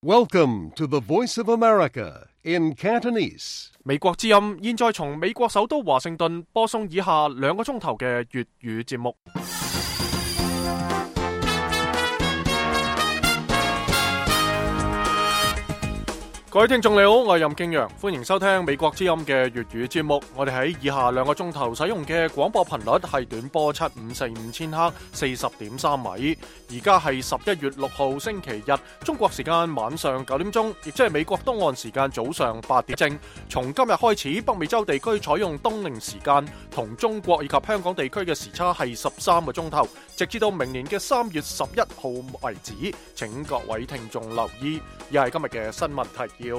Welcome to the Voice of America in Cantonese. 美國之音現在從美國首都華盛頓播送以下2個鐘頭嘅粵語節目。各位聽眾你好，我係任敬陽，歡迎收聽美國之音嘅粵語節目。我哋喺以下2個鐘頭使用嘅廣播頻率係短波7545千赫40.3米。而家係11月6號星期日，中國時間晚上9點鐘，亦即係美國東岸時間早上8點正。從今日開始，北美洲地區採用冬令時間，同中國以及香港地區嘅時差係13個鐘頭，直至到明年嘅3月11號為止。請各位聽眾留意。以下係今日嘅新聞提要。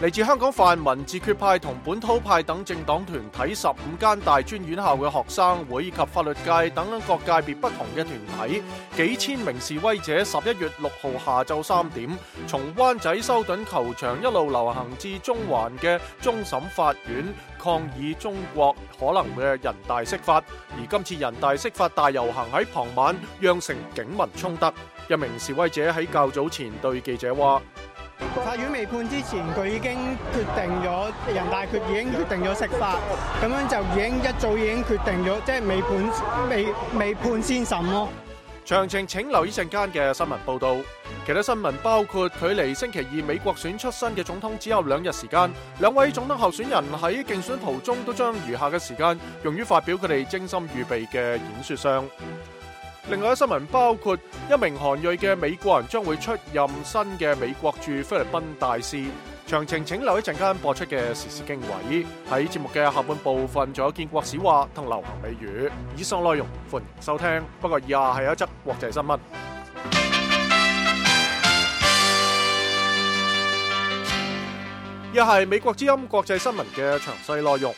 嚟自香港泛民、自決派同本土派等政黨團體15間大專院校嘅學生會以及法律界等各界別不同嘅團體，幾千名示威者11月6號下晝3點，從灣仔修頓球場一路流行至中環嘅終審法院，抗議中國可能嘅人大釋法。而今次人大釋法大遊行喺傍晚釀成警民衝突。一名示威者喺較早前對記者話：法院未判之前，佢已經決定咗，人大決已經決定咗釋法，咁樣就一早已經決定咗，即係未判先審咯。詳情請留意陣間嘅新聞報導。其他新聞包括距離星期二美國選出新嘅總統只有2日時間，2位總統候選人喺競選途中都將餘下嘅時間用於發表佢哋精心預備嘅演說上。另外一新聞包括一名韓裔嘅美國人將會出任新嘅美國駐菲律賓大使。詳情請留意陣間播出嘅時事經緯。喺節目嘅下半部分仲有建國史話同流行美語。以上內容歡迎收聽，不過以下係一則國際新聞。以下係美國之音國際新聞嘅詳細內容。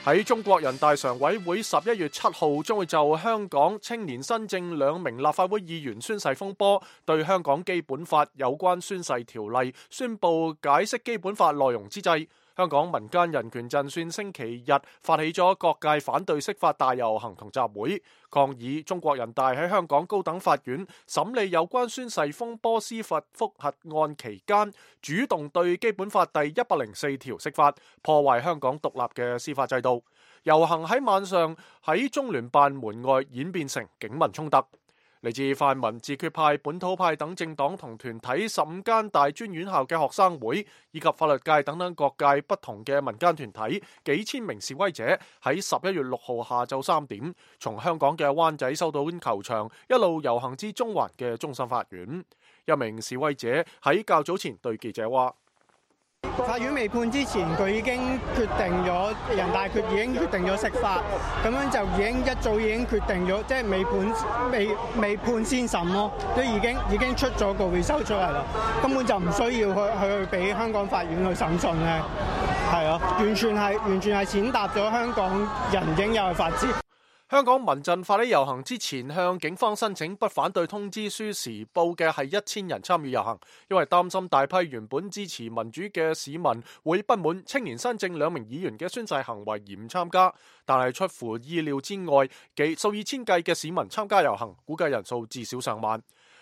喺中國人大常委會11月7號將會就香港青年新政2名立法會議員宣誓風波，對香港基本法有關宣誓條例宣布解釋基本法內容之際，香港民間人權陣線星期日發起咗各界反對釋法大遊行同集會，抗議中國人大喺香港高等法院審理有關宣誓風波司法覆核案期間，主動對基本法第104條釋法，破壞香港獨立嘅司法制度。遊行喺晚上喺中聯辦門外演變成警民衝突。嚟自泛民、自決派、本土派等政黨同團體15間大專院校嘅學生會以及法律界等各界不同嘅民間團體，幾千名示威者喺11月6號下晝3點，從香港嘅灣仔修頓球場一路遊行至中環嘅終審法院。一名示威者喺較早前對記者話：法院未判之前，佢已經決定咗，人大決已經決定咗釋法，咁樣就一早已經決定咗，即係未判先審咯，都已經出咗個回收出嚟啦，根本就唔需要去俾香港法院去審訊咧，係啊，完全係踐踏咗香港人應有嘅法治。香港民陣發起遊行之前，向警方申請不反對通知書時，報嘅係1000人參與遊行，因為擔心大批原本支持民主嘅市民會不滿青年新政2名議員嘅宣誓行為而唔參加。但係出乎意料之外，數以千計嘅市民參加遊行，估計人數至少上萬。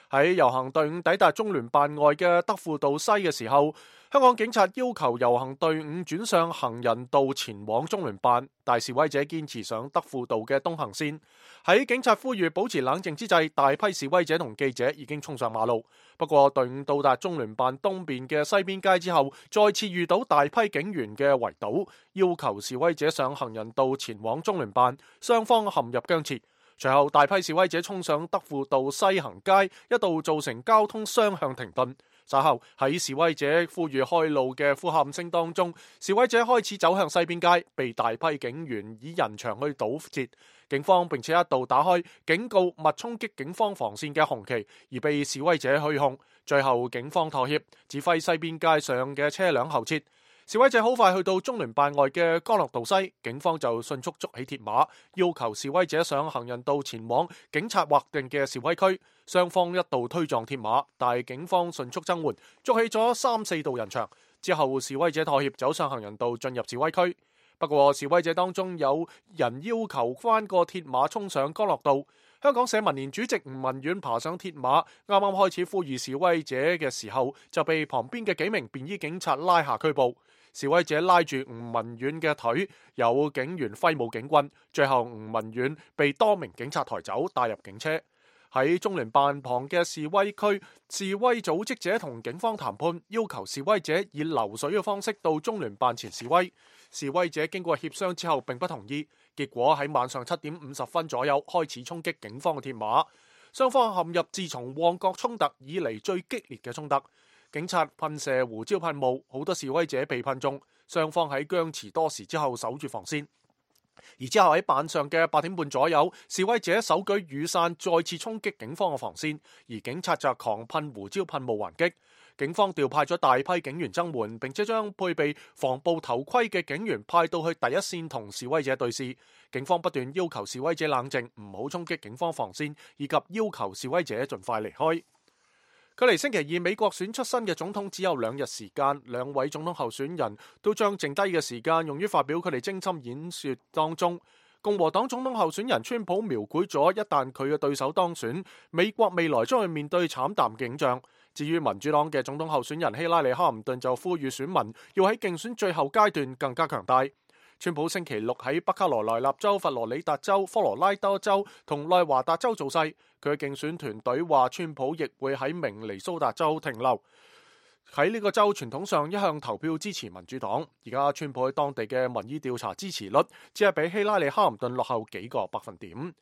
喺遊行隊伍抵達中聯辦外嘅德輔道西嘅時候，香港警察要求遊行隊伍轉上行人道前往中聯辦，但示威者堅持上德輔道嘅東行線。喺警察呼籲保持冷靜之際，大批示威者同記者已經衝上馬路。不過隊伍到達中聯辦東邊嘅西邊街之後，再次遇到大批警員嘅圍堵，要求示威者上行人道前往中聯辦，雙方陷入僵持。隨後大批示威者衝上德輔道西行街，一度造成交通雙向停頓。稍後喺示威者呼籲開路嘅呼喊聲當中，示威者開始走向西邊街，被大批警員以人牆去堵截。警方並且一度打開警告勿衝擊警方防線嘅紅旗，而被示威者虛控。最後警方妥協，指揮西邊街上嘅車輛後撤。示威者好快去到中聯辦外嘅干諾道西，警方就迅速築起鐵馬，要求示威者上行人道前往警察劃定嘅示威區。雙方一度推撞鐵馬，但係警方迅速增援，築起咗3-4道人牆。之後示威者妥協，走上行人道進入示威區。不過示威者當中有人要求翻個鐵馬衝上干諾道。香港社民連主席吳文遠爬上鐵馬，啱啱開始呼籲示威者嘅時候，就被旁邊嘅幾名便衣警察拉下拘捕。示威者拉住吳文遠嘅腿，有警員揮舞警棍，最後吳文遠被多名警察抬走，帶入警車。喺中聯辦旁嘅示威區，示威組織者同警方談判，要求示威者以流水嘅方式到中聯辦前示威。示威者經過協商之後並不同意，結果喺晚上7點50分左右開始衝擊警方嘅鐵馬，雙方陷入自從旺角衝突以嚟最激烈嘅衝突。警察噴射胡椒噴霧，好多示威者被噴中，雙方喺僵持多時之後守住防線。而之後喺晚上嘅8點半左右，示威者手舉雨傘再次衝擊警方嘅防線，而警察就狂噴胡椒噴霧還擊。警方調派咗大批警員增援，並且將配備防暴頭盔嘅警員派到去第一線同示威者對峙。警方不斷要求示威者冷靜，唔好衝擊警方防線，以及要求示威者盡快離開。距離星期二美國選出新嘅總統只有2日時間，兩位總統候選人都將剩低嘅時間用於發表佢哋精心演說當中。共和黨總統候選人川普描繪咗一旦佢嘅對手當選，美國未來將會面對慘淡景象。至於民主黨嘅總統候選人希拉里·哈林頓就呼籲選民要喺競選最後階段更加強大。川普星期六喺北卡羅來納州、佛羅里達州、科羅拉多州同內華達州造勢，佢嘅競選團隊話川普亦會喺明尼蘇達州停留。喺呢個州傳統上一向投票支持民主黨，而家川普喺當地嘅民意調查支持率只係比希拉里·哈林頓落後幾個百分點。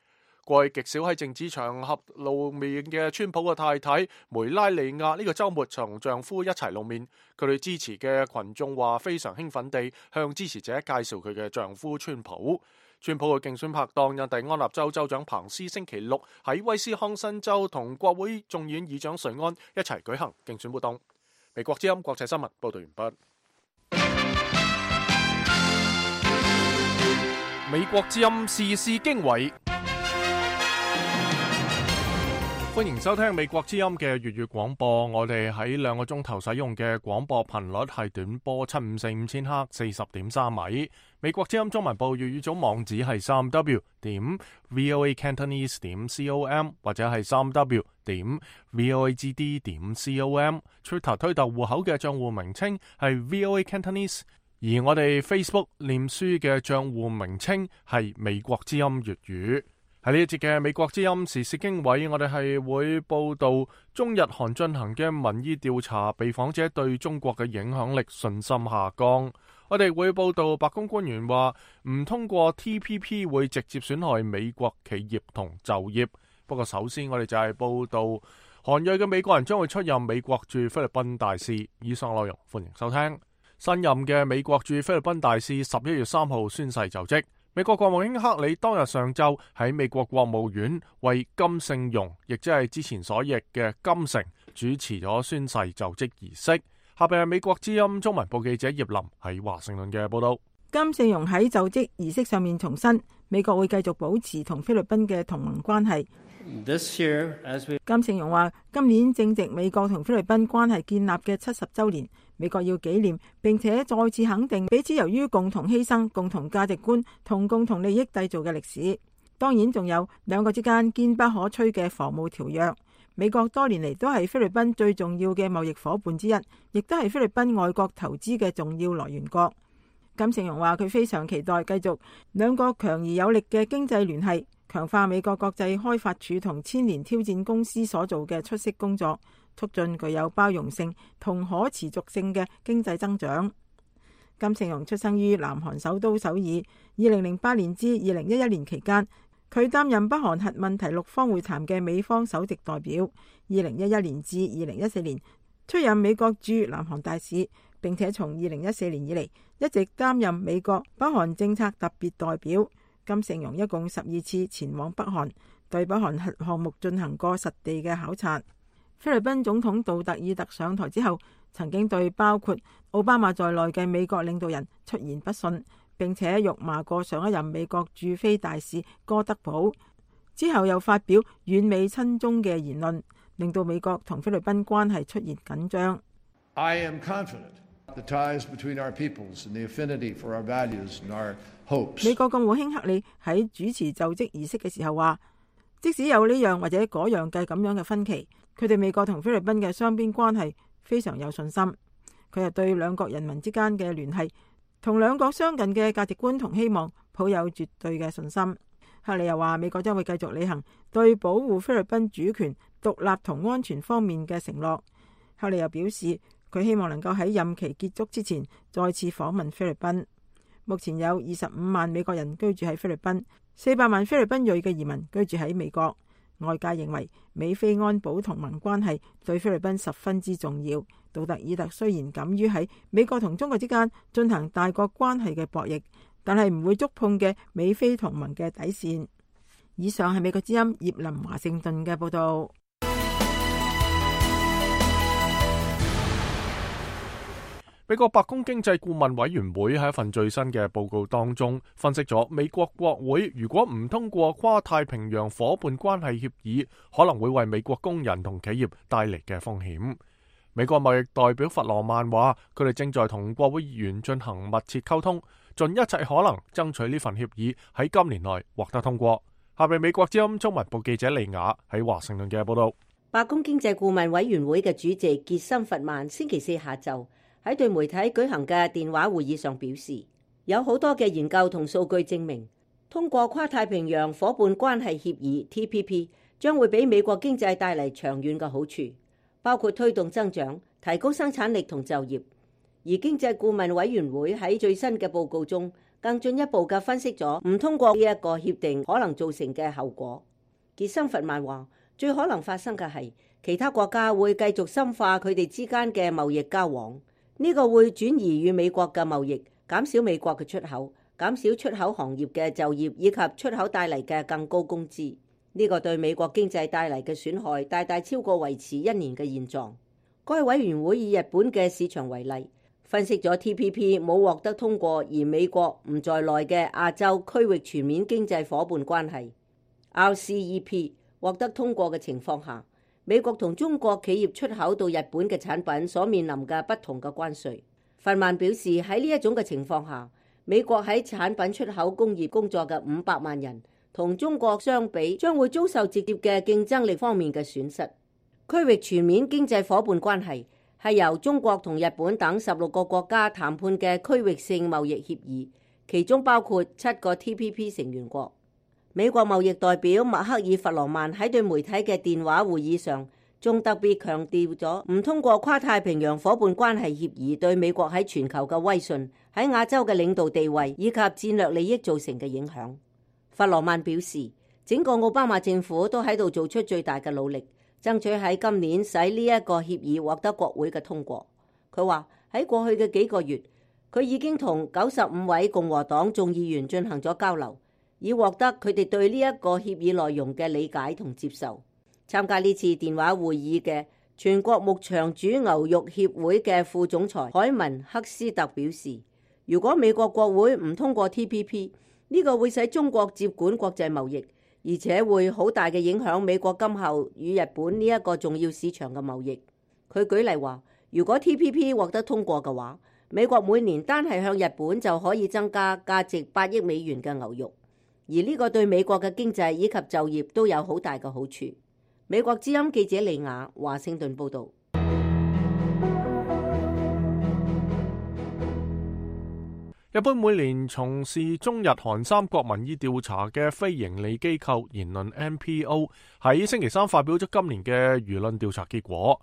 過去極少喺政治場合露面嘅川普嘅太太梅拉尼亞呢個週末同丈夫一齊露面，佢哋支持嘅群眾話非常興奮地向支持者介紹佢嘅丈夫川普。川普嘅競選拍檔印第安納州州長彭斯星期六喺威斯康辛州同國會眾議院議長瑞安一齊舉行競選活動。美國之音國際新聞報道完畢。美國之音時事經緯。歡迎收聽美國之音嘅粵語廣播。我哋喺2個鐘頭使用嘅廣播頻率係短波7545千赫40.3米。美國之音中文部粵語組網址係3w.voacantonese.com 或者係3w.voagd.com。Twitter 推特戶口嘅賬戶名稱係 VOA Cantonese， 而我哋 Facebook 臉書嘅賬戶名稱係美國之音粵語。喺呢一節嘅美國之音時事經緯，我哋係會報道中日韓進行嘅民意調查，被訪者對中國嘅影響力信心下降。我哋會報道白宮官員話唔通過 TPP 會直接損害美國企業同就業。不過首先我哋就係報道韓裔嘅美國人將會出任美國駐菲律賓大使。以上內容歡迎收聽。新任嘅美國駐菲律賓大使11月3號宣誓就職。美國國務卿克里當日上晝喺美國國務院為金聖容，亦即係之前所譯嘅金城，主持咗宣誓就職儀式。下邊係美國之音中文部記者葉林喺華盛頓嘅報道。金聖容喺就職儀式上面重申，美國會繼續保持同菲律賓嘅同盟關係。金聖容話，今年正值美國同菲律賓關係建立嘅70週年，美國要紀念並且再次肯定彼此由於共同犧牲、共同價值觀同共同利益締造嘅歷史。當然仲有兩國之間堅不可摧嘅防務條約。美國多年嚟都係菲律賓最重要嘅貿易夥伴之一，亦都係菲律賓外國投資嘅重要來源國。金聖容話佢非常期待繼續兩國強而有力嘅經濟聯繫，強化美國國際開發署同千年挑戰公司所做嘅出色工作，促進具有包容性同可持續性嘅經濟增長。金聖容出生於南韓首都首爾，2008年至2011年期間，佢擔任北韓核問題6方會談嘅美方首席代表。2011年至2014年出任美國駐南韓大使，並且從2014年以嚟一直擔任美國北韓政策特別代表。金聖容一共12次前往北韓，對北韓核項目進行過實地嘅考察。菲律賓總統杜特爾特上台之後，曾經對包括奧巴馬在內嘅美國領導人出言不遜，並且辱罵過上一任美國駐菲大使哥德堡。之後又發表遠美親中嘅言論，令到美國同菲律賓關係出現緊張。I am confident the ties between our peoples and the affinity for our values and our hopes. 美國國務卿克里喺主持就職儀式嘅時候話，即使有呢樣或者嗰樣嘅咁樣嘅分歧，佢對美國同菲律賓嘅雙邊關係非常有信心。佢又對兩國人民之間嘅聯繫同兩國相近嘅價值觀同希望抱有絕對嘅信心。克里又話，美國將會繼續履行對保護菲律賓主權、獨立同安全方面嘅承諾。克里又表示，佢希望能夠喺任期結束之前再次訪問菲律賓。目前有25萬美國人居住喺菲律賓，400萬菲律賓裔嘅移民居住喺美國。外界認為美菲安保同盟關係對菲律賓十分之重要。杜特爾特雖然敢於喺美國同中國之間進行大國關係嘅博弈，但係唔會觸碰嘅美菲同盟嘅底線。以上係美國之音葉林華盛頓嘅報道。美國白宮經濟顧問委員會喺一份最新嘅報告當中分析咗美國國會如果唔通過跨太平洋夥伴關係協議，可能會為美國工人同企業帶嚟嘅風險。美國貿易代表弗羅曼話，佢哋正在同國會議員進行密切溝通，盡一切可能爭取呢份協議喺今年內獲得通過。下面美國之音中文部記者利雅喺華盛頓嘅報道。白宮經濟顧問委員會嘅主席傑森弗曼星期四下晝喺對媒體舉行嘅電話會議上表示，有好多嘅研究同數據證明，通過跨太平洋夥伴關係協議 TPP 將會俾美國經濟帶嚟長遠嘅好處，包括推動增長、提高生產力同就業。而經濟顧問委員會喺最新嘅報告中，更進一步嘅分析咗唔通過呢一個協定可能造成嘅後果。傑森弗曼話，最可能發生嘅係其他國家會繼續深化佢哋之間嘅貿易交往。呢個會轉移與美國嘅貿易，減少美國嘅出口，減少出口行業嘅就業，以及出口帶嚟嘅更高工資。呢個對美國經濟帶嚟嘅損害大大超過維持1年嘅現狀。該委員會以日本嘅市場為例，分析咗 TPP 冇獲得通過而美國唔在內嘅亞洲區域全面經濟夥伴關係 RCEP 獲得通過嘅情況下，美國同中國企業出口到日本嘅產品所面臨嘅不同嘅關稅。弗曼表示，喺呢一種嘅情況下，美國喺產品出口工業工作嘅500萬人同中國相比，將會遭受直接嘅競爭力方面嘅損失。區域全面經濟夥伴關係係由中國同日本等16個國家談判嘅區域性貿易協議，其中包括7個 TPP 成員國。美國貿易代表麥克爾弗羅曼喺對媒體嘅電話會議上，仲特別強調咗唔通過跨太平洋夥伴關係協議對美國喺全球嘅威信、喺亞洲嘅領導地位以及戰略利益造成嘅影響。弗羅曼表示，整個奧巴馬政府都喺度做出最大嘅努力，爭取喺今年使呢一個協議獲得國會嘅通過。佢話喺過去嘅幾個月，佢已經同95位共和黨眾議員進行咗交流，以獲得佢哋對呢一個協議內容嘅理解同接受。參加呢次電話會議嘅全國牧場主牛肉協會嘅副總裁海文克斯特表示，如果美國國會唔通過 TPP， 呢個會使中國接管國際貿易，而且會好大嘅影響美國今後與日本呢一個重要市場嘅貿易。佢舉例話，如果 TPP 獲得通過嘅話，美國每年單係向日本就可以增加價值8億美元嘅牛肉，而呢個對美國嘅經濟以及就業都有好大嘅好處。美國之音記者利雅華盛頓報道。日本每年從事中日韓三國民意調查嘅非營利機構言論 NPO 喺星期三發表咗今年嘅輿論調查結果。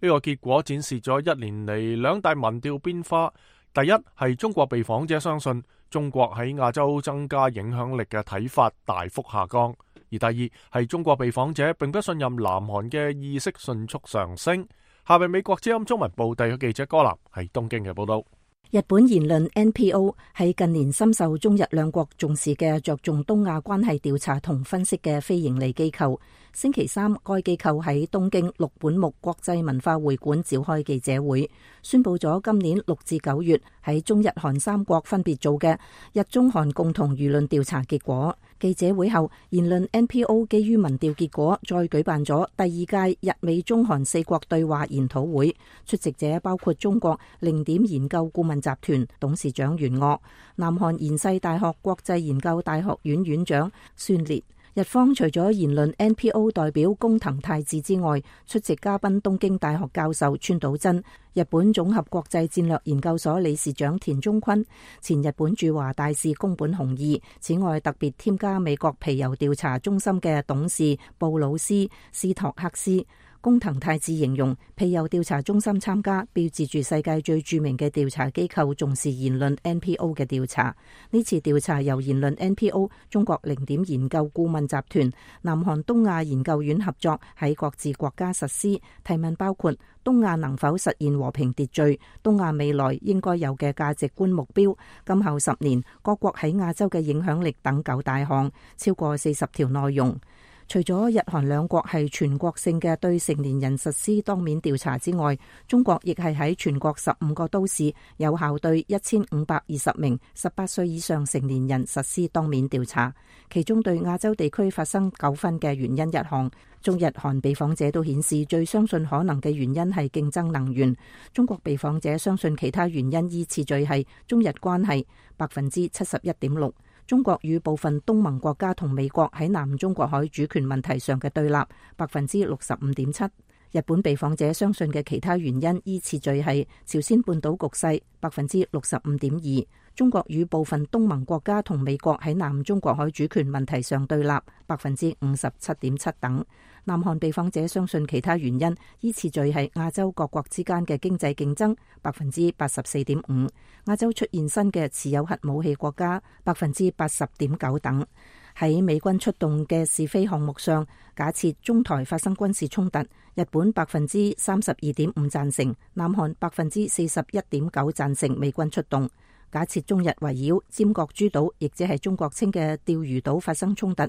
呢個結果展示咗1年嚟兩大民調變化。第一係中國被訪者相信中國喺亞洲增加影響力嘅睇法大幅下降。而第二係中國被訪者並不信任南韓嘅意識迅速上升。下面美國之音中文部地嘅記者歌南喺東京嘅報道。日本言論 NPO 係近年深受中日兩國重視嘅着重東亞關係調查同分析嘅非營利機構。星期三，該機構喺東京六本木國際文化會館召開記者會，宣布咗今年6至9月喺中日韓三國分別做嘅日中韓共同輿論調查結果。記者會後，言論 NPO 基於民調結果，再舉辦咗第2屆日美中韓4國對話研討會，出席者包括中國零點研究顧問集團董事長袁岳、南韓延世大學國際研究大學院院長孫烈、日方除咗言論 NPO 代表工藤泰志之外，出席嘉賓東京大學教授川島真、日本總合國際戰略研究所理事長田中坤、前日本駐華大使宮本雄二。此外，特別添加美國皮尤調查中心嘅董事布魯斯斯托克斯。工藤泰志形容皮尤調查中心參加，標誌住世界最著名嘅調查機構重視言論 NPO 嘅調查。呢次調查由言論 NPO、中國零點研究顧問集團、南韓東亞研究院合作，喺各自國家實施。提問包括東亞能否實現和平秩序、東亞未來應該有嘅價值觀目標、今後10年各國喺亞洲嘅影響力等9大項，超過40條內容。除咗日韓兩國係全國性嘅對成年人實施當面調查之外，中國亦係喺全國15個都市有效對1520名18歲以上成年人實施當面調查。其中對亞洲地區發生糾紛嘅原因一項，中日韓被訪者都顯示最相信可能嘅原因係競爭能源。中國被訪者相信其他原因依次序係中日關係71.6%。中國與部分東盟國家同美國喺南中國海主權問題上嘅對立65.7%。日本被訪者相信嘅其他原因依次序係朝鮮半島局勢65.2%。中國與部分東盟國家同美國喺南中國海主權問題上對立57.7%等。南韓被訪者相信其他原因依次序係亞洲各國之間嘅經濟競爭84.5%，亞洲出現新嘅持有核武器國家80.9%等。喺美軍出動嘅是非項目上，假設中台發生軍事衝突，日本32.5%贊成，南韓41.9%贊成美軍出動。假設中日圍繞尖閣諸島，亦即係中國稱嘅釣魚島發生衝突，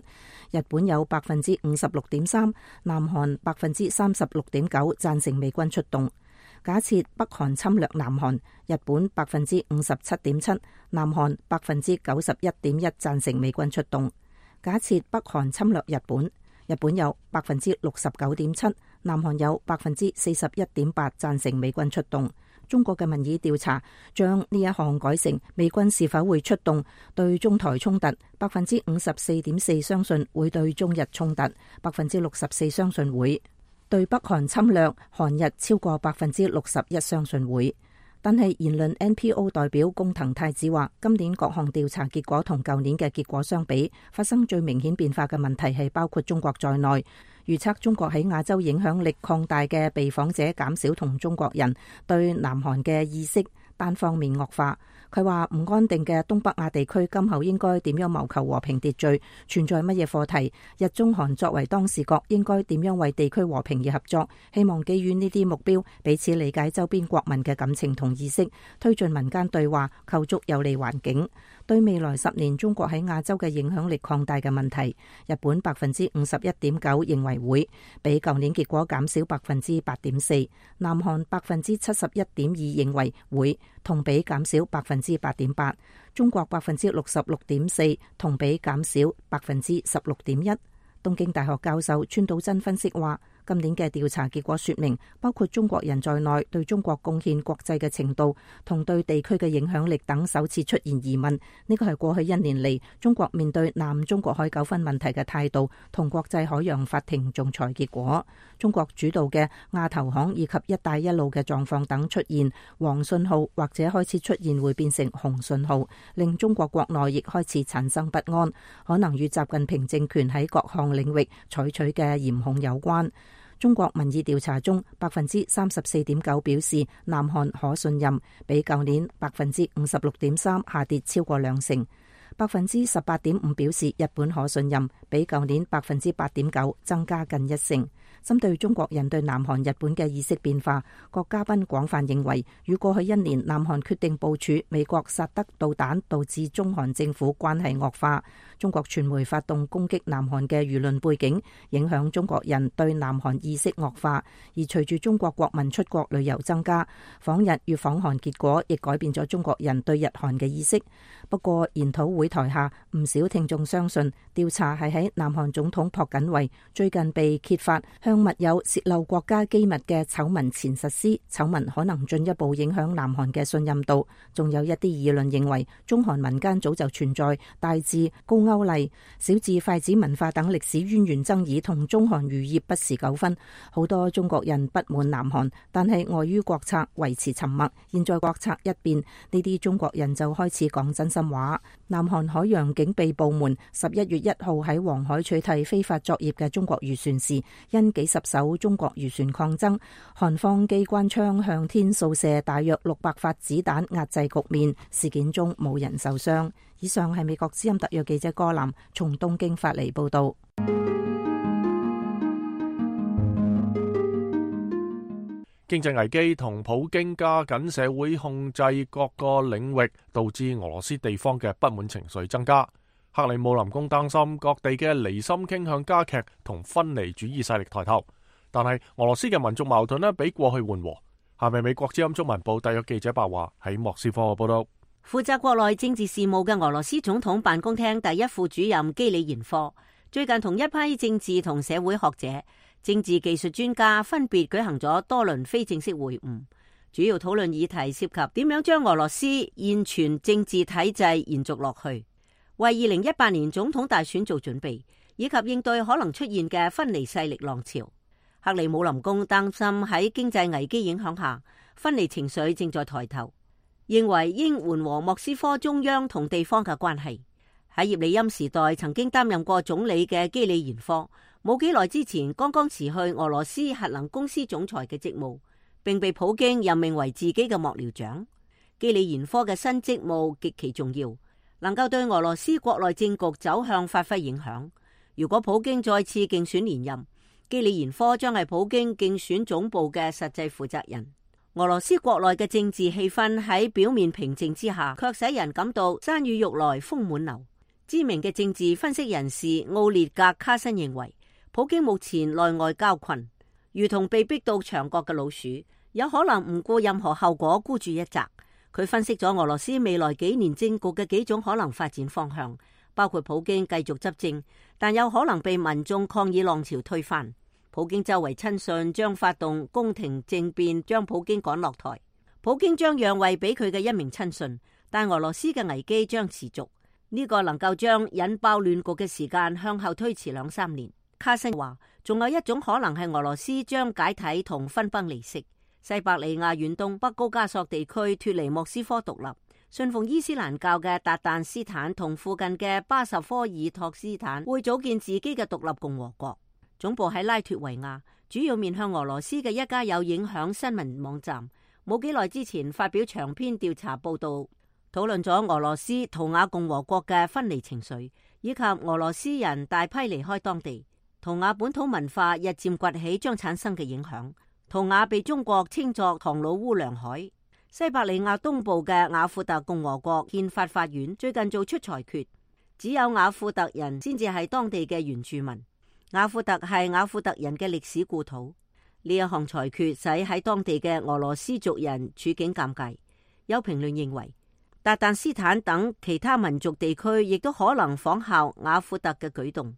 日本有56.3%，南韓36.9%贊成美軍出動。假設北韓侵略南韓，日本57.7%，南韓91.1%贊成美軍出動。假設北韓侵略日本，日本有69.7%，南韓有41.8%贊成美軍出動。中國嘅民意調查將呢一項改成美軍是否會出動對中台衝突，54.4%相信會對中日衝突，64%相信會對北韓侵略韓日超過61%相信會。但係言論 NPO 代表工藤泰志話，今年各項調查結果同舊年嘅結果相比，發生最明顯變化嘅問題係包括中國在內。預測中國喺亞洲影響力擴大嘅被訪者減少，同中國人對南韓嘅意識單方面惡化。佢話唔安定嘅東北亞地區今後應該點樣謀求和平秩序，存在乜嘢課題，日中韓作為當事國應該點樣為地區和平而合作，希望基於呢啲目標彼此理解周邊國民嘅感情同意識，推進民間對話，構築有利環境。對未來10年中國喺亞洲嘅影響力擴大嘅問題，日本51.9%認為會，比舊年結果減少8.4%，南韓71.2%認為會，同比減少8.8%，中國66.4%，同比減少16.1%。東京大學教授川島真分析話，今年嘅調查結果說明，包括中國人在內對中國貢獻國際嘅程度同對地區嘅影響力等首次出現疑問。呢個係過去1年嚟中國面對南中國海糾紛問題嘅態度同國際海洋法庭仲裁結果。中國主導嘅亞投行以及一帶一路嘅狀況等出現黃信號，或者開始出現會變成紅信號，令中國國內亦開始產生不安，可能與習近平政權喺各項領域採取嘅嚴控有關。中國民意調查中34.9%表示南韓可信任，比舊年56.3%下跌超過20%。18.5% 表示日本可信任，比舊年8.9%增加近1%。針對中國人對南韓、日本嘅意識變化，各嘉賓廣泛認為，與過去1年南韓決定部署美國薩德導彈導致中韓政府關係惡化，中國傳媒發動攻擊南韓嘅輿論背景，影響中國人對南韓意識惡化。而隨住中國國民出國旅遊增加，訪日與訪韓結果亦改變咗中國人對日韓嘅意識。不過研討會台下，唔少聽眾相信調查係喺南韓總統朴槿惠最近被揭發向密友洩漏國家機密嘅醜聞前實施，醜聞可能進一步影響南韓嘅信任度。仲有一啲議論認為，中韓民間早就存在大至高句麗、小至筷子文化等歷史淵源爭議同中韓漁業不時糾紛。好多中國人不滿南韓，但係礙於國策維持沉默。現在國策一變，呢啲中國人就開始講真心話。南韓海洋警備部門11月1號喺黃海取締非法作業嘅中國漁船時，因幾十艘中國漁船抗爭，韓方機關槍向天掃射大約600發子彈壓制局面。事件中冇人受傷。以上係美國之音特約記者柯南從東京發嚟報道。經濟危機同普京加緊社會控制各個領域，導致俄羅斯地方嘅不滿情緒增加。克里姆林宮擔心各地嘅離心傾向加劇同分離主義勢力抬頭，但係俄羅斯嘅民族矛盾比過去緩和。下面美國之音中文部特約記者白華喺莫斯科嘅報道。負責國內政治事務嘅俄羅斯總統辦公廳第一副主任基里延科最近同一批政治同社會學者、政治技術專家分別舉行咗多輪非正式會晤，主要討論議題涉及點樣將俄羅斯現存政治體制延續落去，為2018年總統大選做準備，以及應對可能出現嘅分離勢力浪潮。克里姆林宮擔心喺經濟危機影響下，分離情緒正在抬頭，認為應緩和莫斯科中央同地方嘅關係。喺葉利欽時代曾經擔任過總理嘅基里延科，冇幾耐之前剛剛辭去俄羅斯核能公司總裁嘅職務，並被普京任命為自己嘅幕僚長。基里延科嘅新職務極其重要，能夠對俄羅斯國內政局走向發揮影響。如果普京再次競選連任，基里延科將係普京競選總部嘅實際負責人。俄羅斯國內嘅政治氣氛喺表面平靜之下，卻使人感到山雨欲來風滿樓。知名嘅政治分析人士奧列格卡申認為，普京目前內外交困，如同被逼到牆角嘅老鼠，有可能唔顧任何後果孤注一擲。佢分析咗俄羅斯未來幾年政局嘅幾種可能發展方向，包括普京繼續執政，但有可能被民眾抗議浪潮推翻。普京周圍親信將發動宮廷政變，將普京趕落台。普京將讓位俾佢嘅一名親信，但俄羅斯嘅危機將持續。呢個能夠將引爆亂局嘅時間向後推遲2-3年。卡申話，仲有一種可能係俄羅斯將解體同分崩離析，西伯利亞遠東北高加索地區脫離莫斯科獨立，信奉伊斯蘭教嘅達旦斯坦同附近嘅巴什科爾托斯坦會組建自己嘅獨立共和國。總部喺拉脫維亞，主要面向俄羅斯嘅一家有影響新聞網站，冇幾耐之前發表長篇調查報道，討論咗俄羅斯圖瓦共和國嘅分離情緒，以及俄羅斯人大批離開當地，圖瓦本土文化日漸崛起將產生嘅影響。圖瓦被中國稱作唐老烏梁海。西伯利亞東部嘅雅庫特共和國憲法法院最近做出裁決，只有雅庫特人先至係當地嘅原住民。雅庫特係雅庫特人嘅歷史故土。呢一項裁決使喺當地嘅俄羅斯族人處境尷尬。有評論認為，達旦斯坦等其他民族地區亦都可能仿效雅庫特嘅舉動。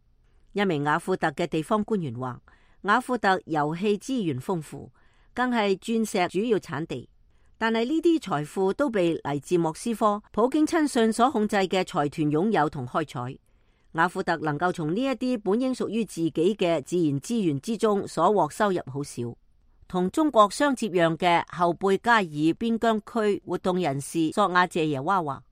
一名雅庫特嘅地方官員話，雅庫特油氣資源豐富，更係鑽石主要產地，但係呢啲財富都被嚟自莫斯科普京親信所控制嘅財團擁有同開採。雅庫特能夠從呢一啲本應屬於自己嘅自然資源之中所獲收入好少。同中國相接壤嘅後貝加爾邊疆區活動人士索亞謝耶娃話，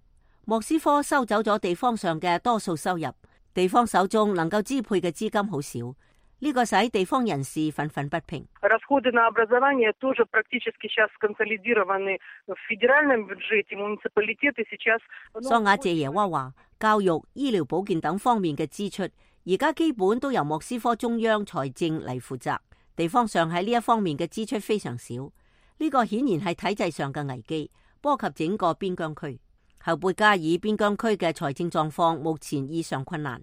莫斯科收走咗地方上嘅多數收入，地方手中能夠支配嘅資金好少，呢個使地方人士憤憤不平。索亞謝耶娃話，教育、醫療保健等方面嘅支出，而家基本都由莫斯科中央財政嚟負責。地方上喺呢一方面嘅支出非常少，呢個顯然係體制上嘅危機，波及整個邊疆區。後貝加爾邊疆區嘅財政狀況目前異常困難，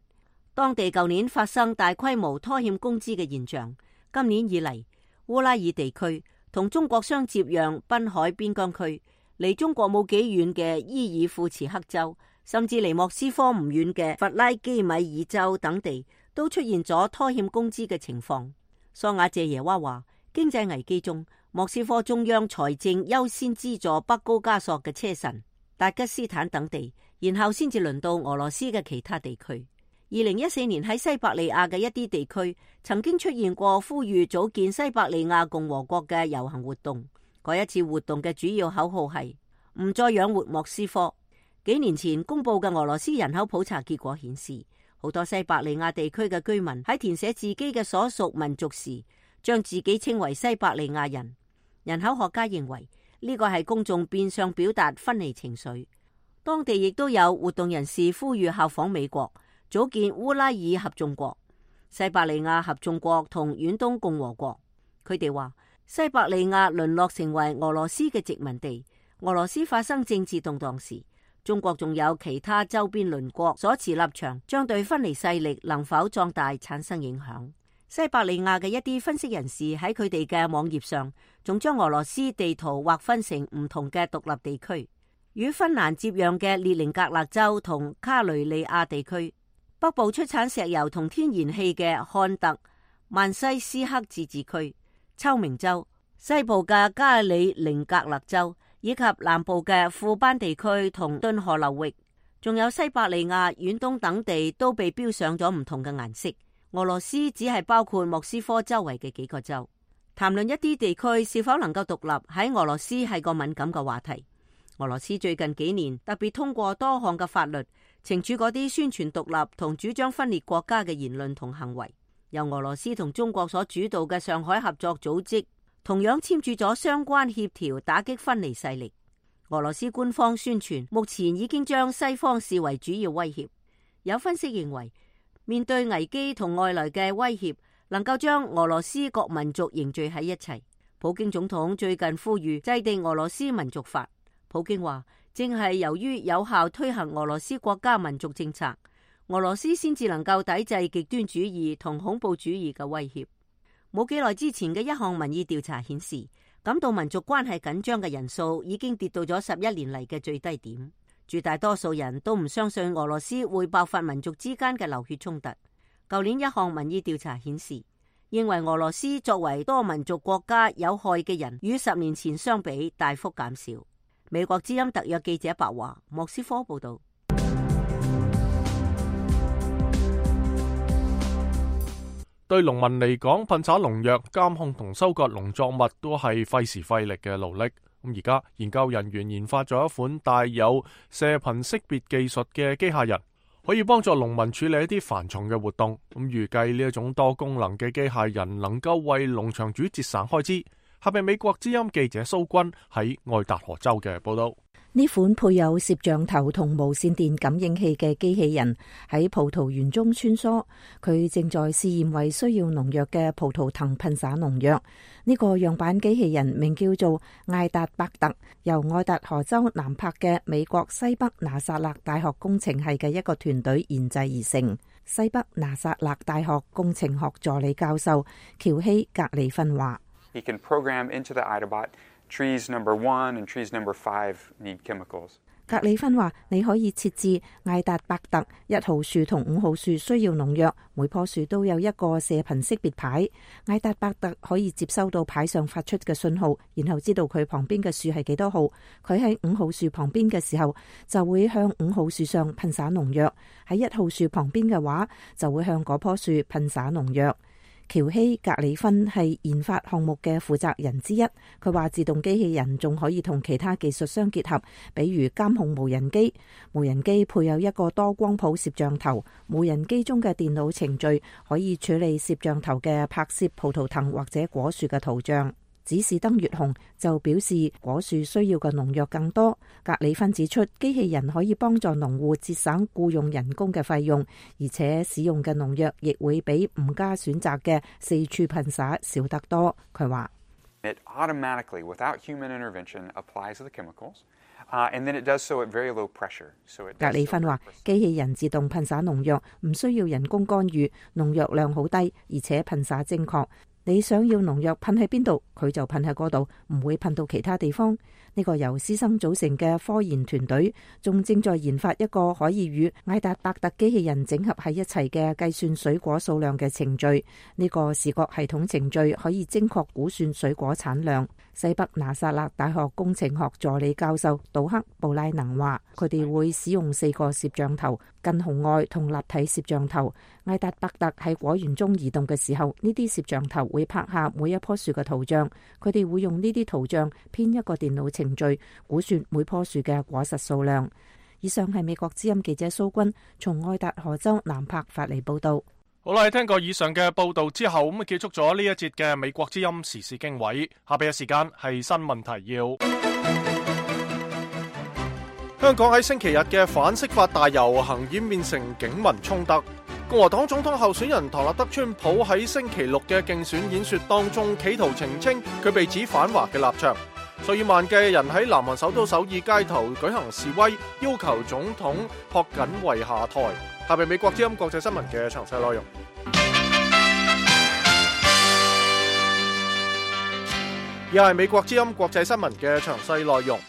當地舊年發生大規模拖欠工資嘅現象。今年以嚟，烏拉爾地區同中國相接壤濱海邊疆區，離中國冇幾遠嘅伊爾庫茨克州，甚至離莫斯科唔遠嘅弗拉基米爾州等地都出現咗拖欠工資嘅情況。索瓦謝耶娃話，經濟危機中，莫斯科中央財政優先資助北高加索嘅車臣、達吉斯坦等地，然後先至輪到俄羅斯嘅其他地區。2014年喺西伯利亞嘅一啲地區曾經出現過呼籲組建西伯利亞共和國嘅遊行活動。嗰一次活動嘅主要口號係唔再養活莫斯科。幾年前公布嘅俄羅斯人口普查結果顯示，好多西伯利亞地區嘅居民喺填寫自己嘅所屬民族時，將自己稱為西伯利亞人。人口學家認為呢個係公眾變相表達分離情緒。當地亦都有活動人士呼籲效仿美國，組建烏拉爾合眾國、西伯利亞合眾國同遠東共和國。佢哋話西伯利亞淪落成為俄羅斯嘅殖民地，俄羅斯發生政治動盪時，中國仲有其他周邊鄰國所持立場，將對分離勢力能否壯大產生影響。西伯利亞嘅一啲分析人士喺佢哋嘅網頁上，仲將俄羅斯地圖劃分成唔同嘅獨立地區，與芬蘭接壤嘅列寧格勒州同卡雷利亞地區，北部出產石油同天然氣嘅漢特曼西斯克自治區、秋明州，西部嘅加里寧格勒州，以及南部嘅庫班地區同頓河流域，仲有西伯利亞、遠東等地都被標上咗唔同嘅顏色。俄羅斯只係包括莫斯科周圍嘅幾個州。談論一啲地區是否能夠獨立，喺俄羅斯係個敏感嘅話題。俄羅斯最近幾年特別通過多項嘅法律，懲處嗰啲宣傳獨立同主張分裂國家嘅言論同行為。由俄羅斯同中國所主導嘅上海合作組織同樣簽署咗相關協調，打擊分離勢力。俄羅斯官方宣傳，目前已經將西方視為主要威脅。有分析認為，面對危機同外來嘅威脅，能夠將俄羅斯各民族凝聚喺一齊。普京總統最近呼籲制定俄羅斯民族法。普京話，正係由於有效推行俄羅斯國家民族政策，俄羅斯先至能夠抵制極端主義同恐怖主義嘅威脅。冇幾耐之前嘅一項民意調查顯示，感到民族關係緊張嘅人數已經跌到咗11年嚟嘅最低點。絕大多數人都唔相信俄羅斯會爆發民族之間嘅流血衝突。舊年一項民意調查顯示，認為俄羅斯作為多民族國家有害嘅人與10年前相比大幅減少。美國之音特約記者白華，莫斯科報道。對農民嚟講，噴灑農藥、監控同收割農作物都係費時費力嘅勞力。咁而家研究人員研發咗一款帶有射頻識別技術嘅機械人，可以幫助農民處理一啲繁重嘅活動。咁預計呢一種多功能嘅機械人能夠為農場主節省開支。下邊美國之音記者蘇軍喺愛達荷州嘅報道。呢款配有攝像頭同無線電感應器嘅機器人喺葡萄園中穿梭，佢正在試驗為需要農藥嘅葡萄藤噴灑農藥。呢個樣板機器人名叫做艾達伯特，由愛達荷州南柏嘅美國西北拿撒勒大學工程系嘅一個團隊研製而成。西北拿撒勒大學工程學助理教授喬希格里芬話：He can program into the Idabot trees number 1 and trees number 5 need chemicals. 格里芬話：你可以設置艾達伯特1號樹同5號樹需要農藥，每棵樹都有一個射頻識別牌。艾達伯特可以接收到牌上發出嘅信號，然後知道佢旁邊嘅樹係幾多號。佢喺5號樹旁邊嘅時候，就會向5號樹上噴灑農藥；喺1號樹旁邊嘅話，就會向嗰棵樹噴灑農藥。喬希格里芬係研發項目嘅負責人之一，佢話自動機器人仲可以同其他技術相結合，比如監控無人機。無人機配有一個多光譜攝像頭，無人機中嘅電腦程序可以處理攝像頭嘅拍攝葡萄藤或者果樹嘅圖像。指示燈越紅就表示果樹需要嘅農藥更多。格里芬指出，機器人可以幫助農戶節省僱用人工嘅費用，而且使用嘅農藥亦會比唔加選擇嘅四處噴灑少得多。佢話：It automatically, without human intervention, applies the chemicals, and then it does so at very low pressure. 格里芬話：機器人自動噴灑農藥，唔需要人工干預，農藥量好低，而且噴灑精確。你想要農藥噴喺邊度，佢就噴喺嗰度，唔會噴到其他地方。呢個由師生組成嘅科研團隊仲正在研發一個可以與艾達伯特機器人整合喺一齊嘅計算水果數量嘅程序。呢個視覺系統程序可以精確估算水果產量。西北拿撒勒大學工程學助理教授杜克布拉能話，佢哋會使用4個攝像頭，近紅外同立體攝像頭。艾達伯特喺果園中移動嘅時候，呢啲攝像頭會拍下每一棵樹嘅圖像，佢哋會用呢啲圖像編一個電腦程序，估算每棵樹嘅果實數量。以上係美國之音記者蘇君從愛達荷州南柏發嚟報道。好啦，聽過以上嘅報道之後，咁結束咗呢一節嘅美國之音時事經緯。下邊嘅時間係新聞提要。香港喺星期日嘅反釋法大遊行演變成警民衝突。共和黨總統候選人唐納德川普喺星期六嘅競選演說當中，企圖澄清佢被指反華嘅立場。數以萬計人喺南韓首都首爾街頭舉行示威，要求總統朴槿惠下台。下邊美國之音國際新聞嘅詳細內容。又係美國之音國際新聞嘅詳細內容。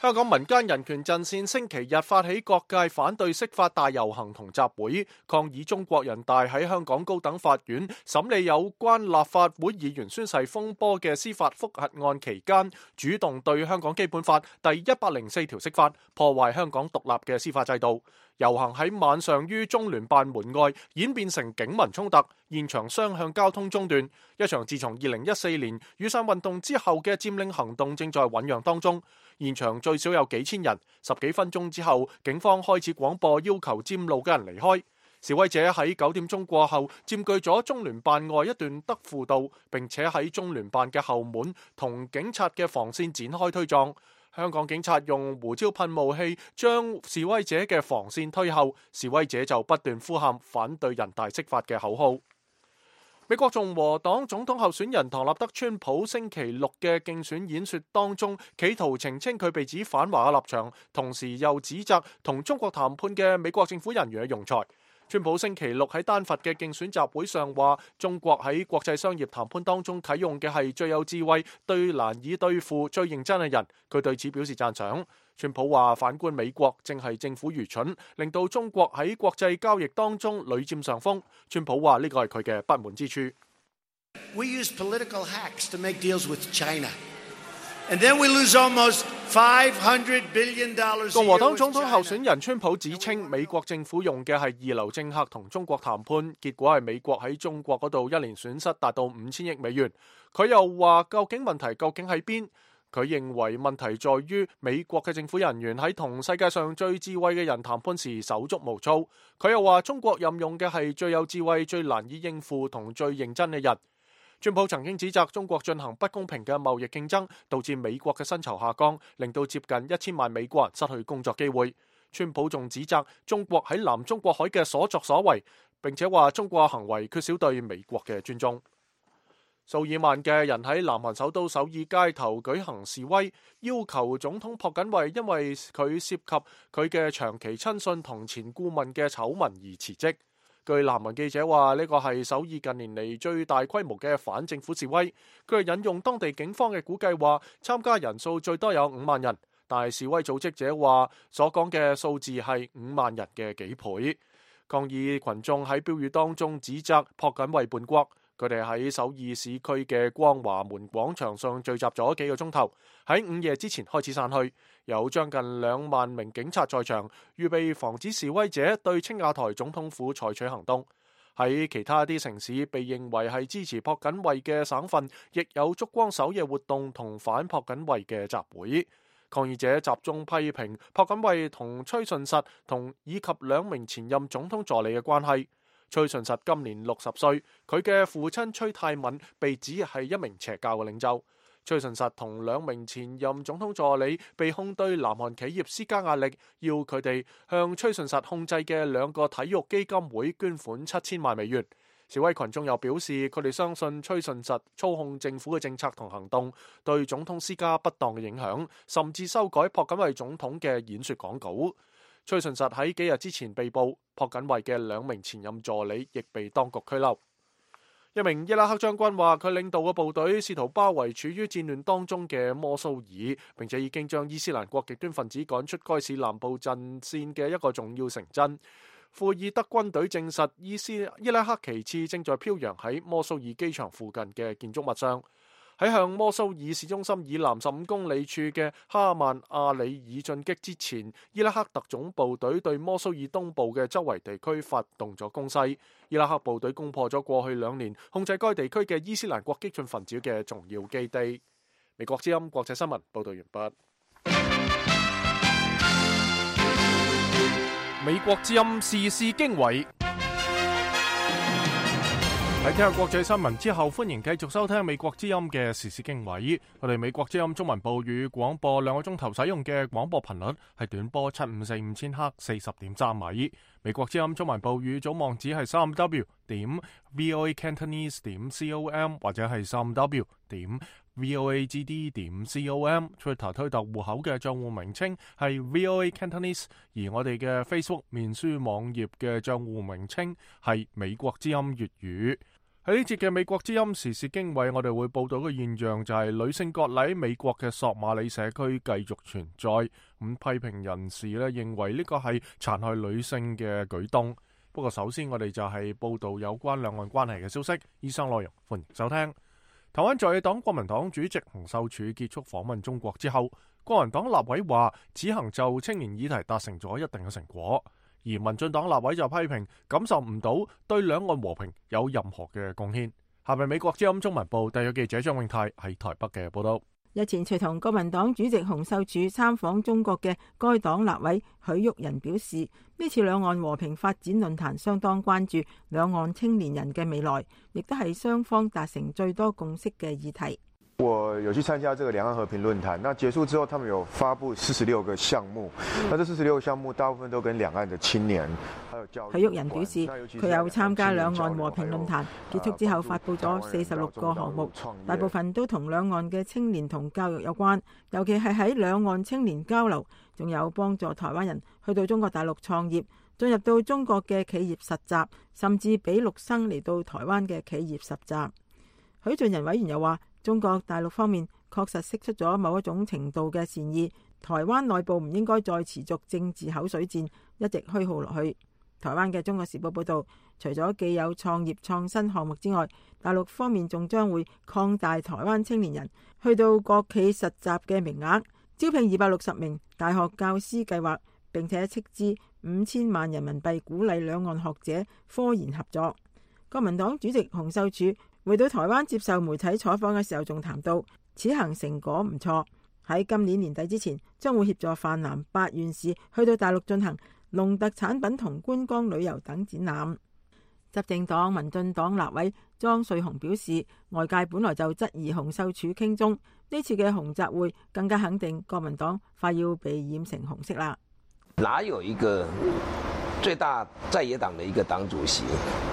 香港民間人權陣線星期日發起各界反對釋法大遊行同集會，抗議中國人大喺香港高等法院審理有關立法會議員宣誓風波嘅司法覆核案期間，主動對香港基本法第104條釋法，破壞香港獨立嘅司法制度。遊行喺晚上於中聯辦門外演變成警民衝突，現場雙向交通中斷。一場自從2014年雨傘運動之後嘅佔領行動正在醞釀當中。現場最少有幾千人，10幾分鐘之後，警方開始廣播要求佔路嘅人離開。示威者喺9點鐘過後佔據咗中聯辦外一段德輔道，並且喺中聯辦嘅後門同警察嘅防線展開推撞。香港警察用胡椒噴霧器將示威者嘅防線推後，示威者就不斷呼喊反對人大釋法嘅口號。美國共和黨總統候選人唐納德川普星期六嘅競選演說當中，企圖澄清佢被指反華嘅立場，同時又指責同中國談判嘅美國政府人員嘅庸才。川普星期六喺丹佛嘅競選集會上話，中國喺國際商業談判當中啟用嘅係最有智慧、最難以對付、最認真嘅人，佢對此表示讚賞。川普話，反觀美國正係政府愚蠢，令到中國喺國際交易當中屢佔上風。川普話呢個係佢嘅不滿之處。We use political hacks to make deals with China. And then we lose almost $500 billion. 共和黨總統候選人川普指稱，美國政府用嘅係二流政客同中國談判，結果係美國喺中國嗰度一年損失達到5000億美元。佢又話，究竟問題究竟喺邊？佢認為問題在於美國嘅政府人員喺同世界上最智慧嘅人談判時手足無措。佢又話，中國任用嘅係最有智慧、最難以應付同最認真嘅人。川普曾經指責中國進行不公平嘅貿易競爭，導致美國嘅薪酬下降，令到接近1000萬美國人失去工作機會。川普仲指責中國喺南中國海嘅所作所為，並且話中國行為缺少對美國嘅尊重。數以萬嘅人喺南韓首都首爾街頭舉行示威，要求總統朴槿惠因為佢涉及佢嘅長期親信同前顧問嘅醜聞而辭職。據南韓記者話，呢個係首爾近年嚟最大規模嘅反政府示威。佢係引用當地警方嘅估計話，參加人數最多有5萬人，但係示威組織者話所講嘅數字係5萬人嘅幾倍。抗議群眾喺標語當中指責朴槿惠叛國。佢哋喺首爾市區嘅光華門廣場上聚集咗幾個鐘頭，喺午夜之前開始散去。有將近2萬名警察在場，預備防止示威者對青瓦台總統府採取行動。喺其他啲城市被認為係支持朴槿惠嘅省份，亦有燭光守夜活動同反朴槿惠嘅集會。抗議者集中批評朴槿惠同崔順實以及2名前任總統助理嘅關係。崔順實今年60歲，佢嘅父親崔泰敏被指係一名邪教嘅領袖。崔順實同2名前任總統助理被控對南韓企業施加壓力，要佢哋向崔順實控制嘅2個體育基金會捐款7000萬美元。示威群眾又表示，佢哋相信崔順實操控政府嘅政策同行動，對總統施加不當嘅影響，甚至修改朴槿惠總統嘅演說講稿。崔順實喺幾日之前被捕，朴槿惠嘅2名前任助理亦被當局拘留。一名伊拉克將軍話，佢領導嘅部隊試圖包圍處於戰亂當中嘅摩蘇爾，並且已經將伊斯蘭國極端分子趕出該市南部陣線嘅一個重要城鎮。庫爾德軍隊證實，伊拉克旗幟正在飄揚喺摩蘇爾機場附近嘅建築物上。喺向摩蘇爾市中心以南15公里處嘅哈曼阿里爾進擊之前，伊拉克特種部隊對摩蘇爾東部嘅周圍地區發動咗攻勢。伊拉克部隊攻破咗過去2年控制該地區嘅伊斯蘭國激進分子嘅重要基地。美國之音國際新聞報道完畢。美國之音時事經緯。喺聽下國際新聞之後，歡迎繼續收聽美國之音嘅時事經緯。我哋美國之音中文部與廣播2個鐘頭使用嘅廣播頻率係短波7545千赫40.3米。美國之音中文部與總網址係 3w.voacantonese.com 或者係 3w.voagd.com。Twitter 推特戶口嘅賬戶名稱係 VOA Cantonese， 而我哋嘅 Facebook 面書網頁嘅賬戶名稱係美國之音粵語。喺呢節嘅美國之音時事經緯，我哋會報道嘅現象就係女性割禮美國嘅索馬里社區繼續存在。批評人士咧認為呢個係殘害女性嘅舉動。不過首先我哋就係報道有關兩岸關係嘅消息。以上內容歡迎收聽。台灣在野黨國民黨主席洪秀柱結束訪問中國之後，國民黨立委話此行就青年議題達成咗一定嘅成果。而民進黨立委就批評感受唔到對兩岸和平有任何嘅貢獻。下面美國之音中文部特約記者張永泰喺台北嘅報道。日前隨同國民黨主席洪秀柱參訪中國嘅該黨立委許旭仁表示，呢次兩岸和平發展論壇相當關注兩岸青年人嘅未來，亦都係雙方達成最多共識嘅議題。我有去參加這個兩岸和平論壇，那結束之後，他們有發布46個項目，那這46個項目大部分都跟兩岸的青年還有教育。許旭仁表示，佢有參加兩岸和平論壇，結束之後發布咗46個項目，大部分都同兩岸嘅青年同教育有關，尤其係喺兩岸青年交流，仲有幫助台灣人去到中國大陸創業，進入到中國嘅企業實習，甚至俾陸生嚟到台灣嘅企業實習。許俊仁委員又話，中國大陸方面確實釋出咗某一種程度嘅善意，台灣內部唔應該再持續政治口水戰，一直虛耗落去。台灣嘅《中國時報》報道，除咗既有創業創新項目之外，大陸方面仲將會擴大台灣青年人去到國企實習嘅名額，招聘260名大學教師計劃，並且斥資5000萬人民幣鼓勵兩岸學者科研合作。國民黨主席洪秀柱回到台灣接受媒體採訪嘅時候，仲談到此行成果唔錯，喺今年年底之前將會協助泛南8縣市去到大陸進行農特產品同觀光旅遊等展覽。執政黨民進黨立委莊瑞雄表示，外界本來就質疑洪秀柱傾中，呢次嘅洪集會更加肯定國民黨快要被染成紅色啦。哪有一個最大在野黨的一個黨主席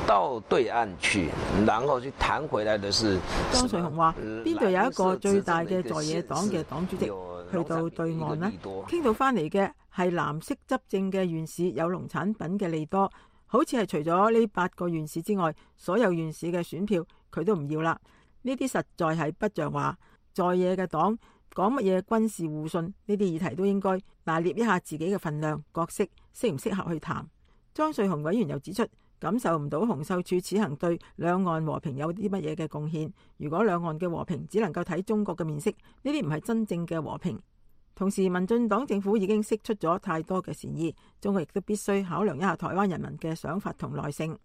到對岸去，然後去談回來的是莊瑞雄話，邊度有一個最大嘅在野黨嘅黨主席去到對岸呢？傾到翻嚟嘅係藍色執政嘅縣市有農產品嘅利多，好似係除咗呢8個縣市之外，所有縣市嘅選票佢都唔要啦。呢啲實在係不像話，在野嘅黨講乜嘢軍事互信呢啲議題都應該拿捏一下自己嘅份量角色，適唔適合去談。莊瑞雄委員又指出，感受唔到洪秀柱此行對兩岸和平有啲乜嘢嘅貢獻。如果兩岸嘅和平只能夠睇中國嘅面色，呢啲唔係真正嘅和平。同時，民進黨政府已經釋出咗太多嘅善意，中國亦都必須考量一下台灣人民嘅想法同耐性。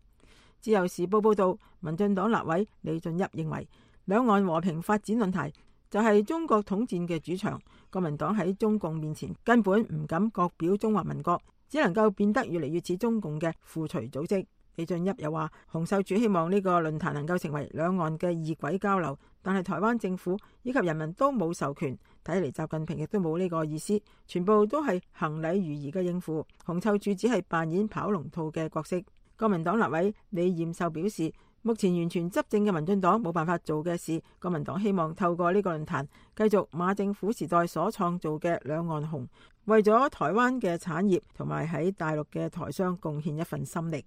自由時報報道，民進黨立委李俊俋認為，兩岸和平發展論壇就係中國統戰嘅主場，國民黨喺中共面前根本唔敢各表中華民國，只能夠變得越嚟越似中共嘅附隨組織。李俊俋又話，洪秀柱希望呢個論壇能夠成為兩岸嘅異軌交流，但係台灣政府以及人民都冇授權，睇嚟習近平亦都冇呢個意思，全部都係行禮如儀嘅應付。洪秀柱只係扮演跑龍套嘅角色。國民黨立委李彥秀表示，目前完全執政嘅民進黨冇辦法做嘅事，國民黨希望透過呢個論壇繼續馬政府時代所創造嘅兩岸紅，為咗台灣嘅產業同埋喺大陸嘅台商貢獻一份心力。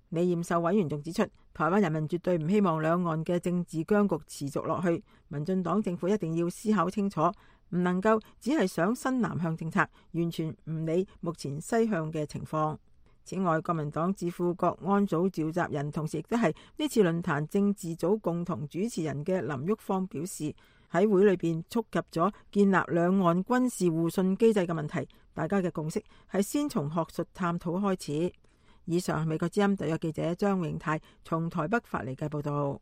李彥秀委員仲指出，台灣人民絕對唔希望兩岸嘅政治僵局持續落去，民進黨政府一定要思考清楚，唔能夠只係想新南向政策，完全唔理目前西向嘅情況。此外，國民黨智庫國安組召集人，同時亦都係呢次論壇政治組共同主持人嘅林郁方表示，喺會裏邊觸及咗建立兩岸軍事互信機制嘅問題，大家嘅共識係先從學術探討開始。以上係美國之音特約記者張永泰從台北發嚟嘅報道。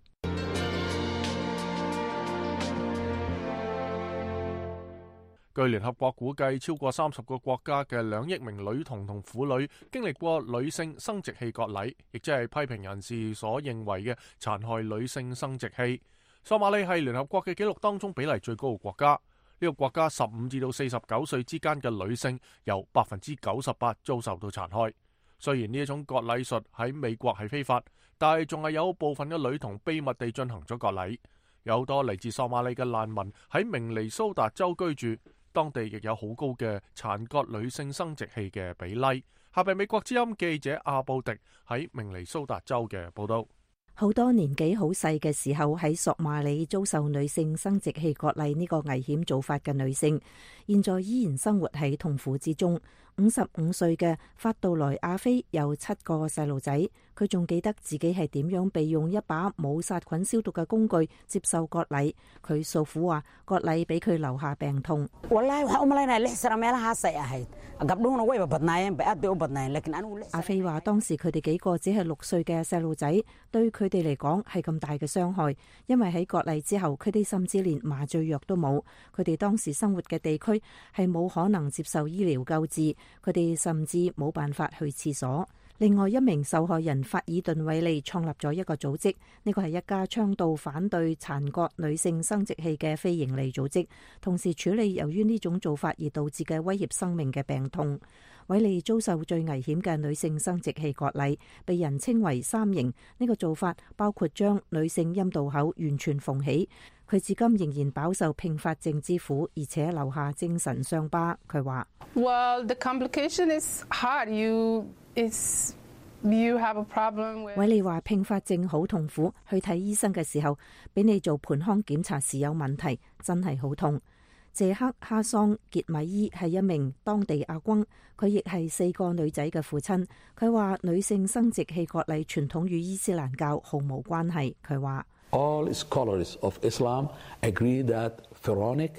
據聯合國估計，超過30個國家嘅2億名女童同婦女經歷過女性生殖器割禮，亦即係批評人士所認為嘅殘害女性生殖器。索馬里係聯合國嘅紀錄當中比例最高嘅國家。呢個國家15至到49歲之間嘅女性有98%遭受到殘害。雖然呢一種割禮術喺美國係非法，但係仲係有部分嘅女童秘密地進行咗割禮。有好多嚟自索馬里嘅難民喺明尼蘇達州居住。當地亦有好高嘅殘割女性生殖器嘅比例。下邊美國之音記者阿布迪喺明尼蘇達州嘅報道。好多年紀好細嘅時候喺索馬里遭受女性生殖器割禮呢個危險做法嘅女性，現在依然生活喺痛苦之中。55歲嘅法杜萊亞菲有7個細路仔，佢仲記得自己係點樣被用一把冇殺菌消毒嘅工具接受割禮。佢訴苦話，割禮俾佢留下病痛。阿菲話當時佢哋幾個只係6歲嘅細路仔，對佢哋嚟講係咁大嘅傷害，因為喺割禮之後，佢哋甚至連麻醉藥都冇。佢哋當時生活嘅地區係冇可能接受醫療救治。佢哋甚至冇辦法去廁所。另外一名受害人法爾頓韋利創立咗一個組織，呢個係一家倡導反對殘割女性生殖器嘅非營利組織，同時處理由於呢種做法而導致嘅威脅生命嘅病痛。韋利遭受最危險嘅女性生殖器割禮，被人稱為3刑。呢個做法包括將女性陰道口完全縫起。佢至今仍然飽受併發症之苦，而且留下精神傷疤。佢話：Well, the complication is hard. You have a problem with。韋利話併發症好痛苦，去睇醫生嘅時候，俾你做盆腔檢查時有問題，真係好痛。謝克哈桑傑米伊係一名當地阿軍，佢亦係4個女仔嘅父親。佢話女性生殖器割禮傳統與伊斯蘭教毫無關係。佢話All scholars of Islam agree that pharaonic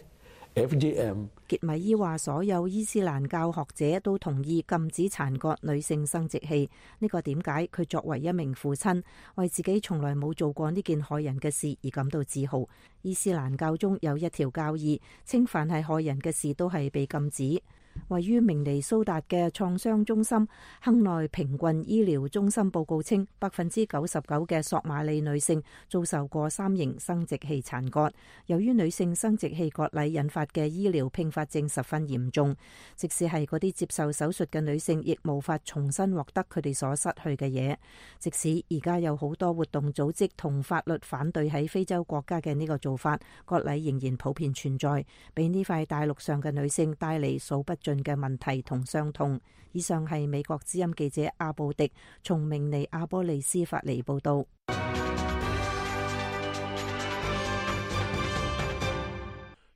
FGM。傑米伊話：所有伊斯蘭教學者都同意禁止殘割女性生殖器。呢個點解佢作為一名父親，為自己從來冇做過呢件害人嘅事而感到自豪。伊斯蘭教中有一條教義，稱凡係害人嘅事都係被禁止。位於明尼蘇達嘅創傷中心亨內平郡醫療中心報告稱，99%嘅索馬里女性遭受過3型生殖器殘割。由於女性生殖器割禮引發嘅醫療併發症十分嚴重，即使係嗰啲接受手術嘅女性，亦無法重新獲得佢哋所失去嘅嘢。即使而家有好多活動組織同法律反對喺非洲國家嘅呢個做法，割禮仍然普遍存在，俾呢塊大陸上嘅女性帶嚟數不盡嘅問題同傷痛。以上係美國之音記者阿布迪從明尼阿波利斯發嚟報道。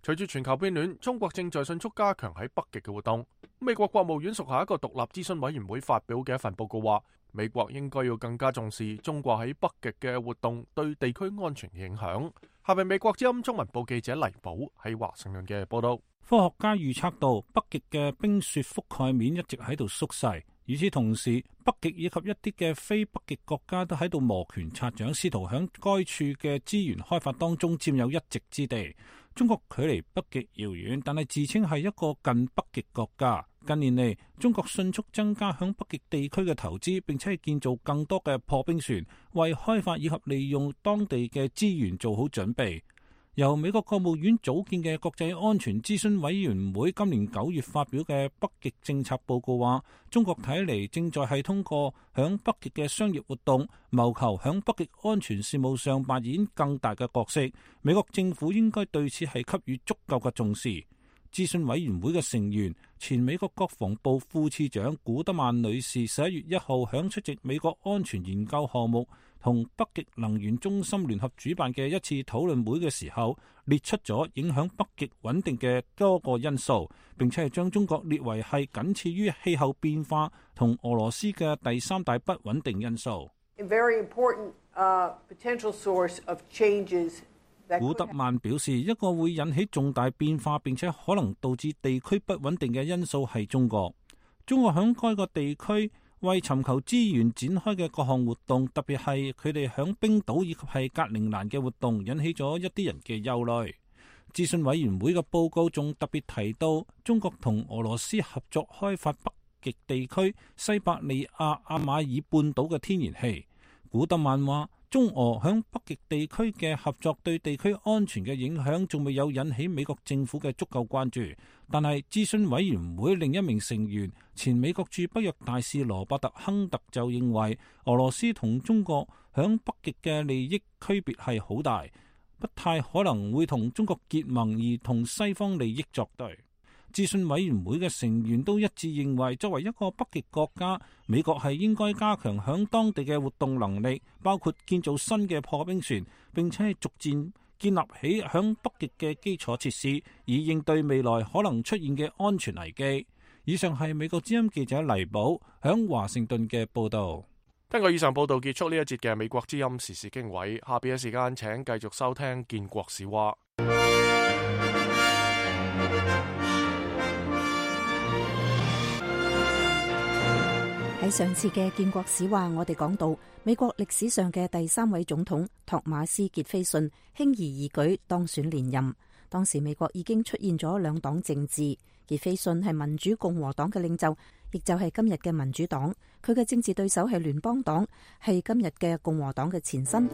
隨住全球變暖，中國正在迅速加強喺北極嘅活動。美國國務院屬下一個獨立諮詢委員會發表嘅一份報告話，美國應該要更加重視中國喺北極嘅活動對地區安全影響。下面美國之音中文部記者黎寶喺華盛頓嘅報道。科學家預測到北極嘅冰雪覆蓋面一直喺度縮細，與此同時，北極以及一啲嘅非北極國家都喺度摩拳擦掌，試圖響該處嘅資源開發當中佔有一席之地。中國距離北極遙遠，但係自稱係一個近北極國家。近年嚟，中國迅速增加響北極地區嘅投資，並且係建造更多嘅破冰船，為開發以及利用當地嘅資源做好準備。由美國國務院組建嘅國際安全諮詢委員會今年9月發表嘅北極政策報告話，中國睇嚟正在係通過響北極嘅商業活動，謀求響北極安全事務上扮演更大嘅角色。美國政府應該對此係給予足夠嘅重視。諮詢委員會嘅成員、前美國國防部副次長古德曼女士11月1號響出席美國安全研究項目同北極能源中心聯合主辦嘅一次討論會嘅時候，列出咗影響北極穩定嘅多個因素，並且係將中國列為係僅次於氣候變化同俄羅斯嘅第三大不穩定因素。古德曼表示，一個會引起重大變化並且可能導致地區不穩定嘅因素係中國。中國響該個地區為尋求資源展開嘅各項活動，特別係佢哋響冰島以及係格陵蘭嘅活動，引起咗一啲人嘅憂慮。諮詢委員會嘅報告仲特別提到，中國同俄羅斯合作開發北極地區西伯利亞阿馬爾半島嘅天然氣。古德曼話，中俄響北極地區嘅合作對地區安全嘅影響仲未有引起美國政府嘅足夠關注，但係諮詢委員會另一名成員、前美國駐北約大使羅伯特·亨特就認為，俄羅斯同中國響北極嘅利益區別係好大，不太可能會同中國結盟而同西方利益作對。諮詢委員會嘅成員都一致認為，作為一個北極國家，美國係應該加強響當地嘅活動能力，包括建造新嘅破冰船，並且係逐漸建立起響北極嘅基礎設施，以應對未來可能出現嘅安全危機。以上係美國之音記者黎寶響華盛頓嘅報道。根據以上報道結束呢一節嘅美國之音時事經緯，下邊嘅時間請繼續收聽建國史話。喺上次嘅建國史話，我哋講到美國歷史上嘅第3位總統托馬斯傑斐遜輕而易舉當選連任。當時美國已經出現咗兩黨政治，傑斐遜係民主共和黨嘅領袖，亦就係今日嘅民主黨。佢嘅政治對手係聯邦黨，係今日嘅共和黨嘅前身。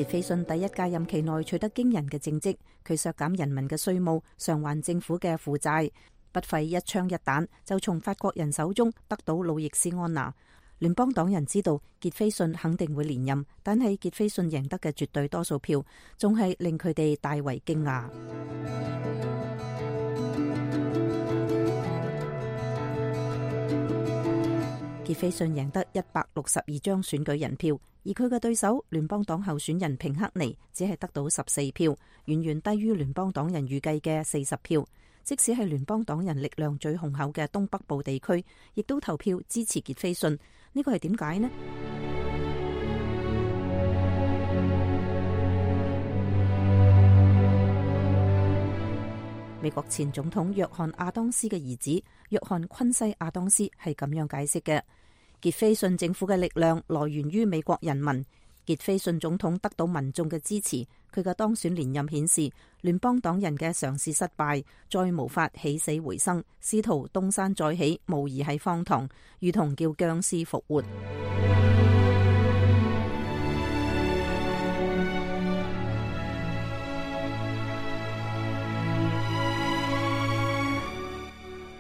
傑斐遜第一屆任期內取得驚人嘅政績，佢削減人民嘅稅務，償還政府嘅負債，不費一槍一彈就從法國人手中得到路易斯安那。聯邦黨人知道傑斐遜肯定會連任，但係傑斐遜贏得嘅絕對多數票，仲係令佢哋大為驚訝。傑斐遜贏得162張選舉人票，而佢嘅對手聯邦黨候選人平克尼只係得到14票，遠遠低於聯邦黨人預計嘅40票。即使係聯邦黨人力量最雄厚嘅東北部地區，亦都投票支持傑斐遜。呢個係點解呢？美國前總統約翰亞當斯嘅兒子約翰昆西亞當斯係咁樣解釋嘅：傑斐遜政府嘅力量來源於美國人民。傑斐遜總統得到民眾嘅支持，佢嘅當選連任顯示聯邦黨人嘅嘗試失敗，再無法起死回生，試圖東山再起，無疑係荒唐，如同叫僵屍復活。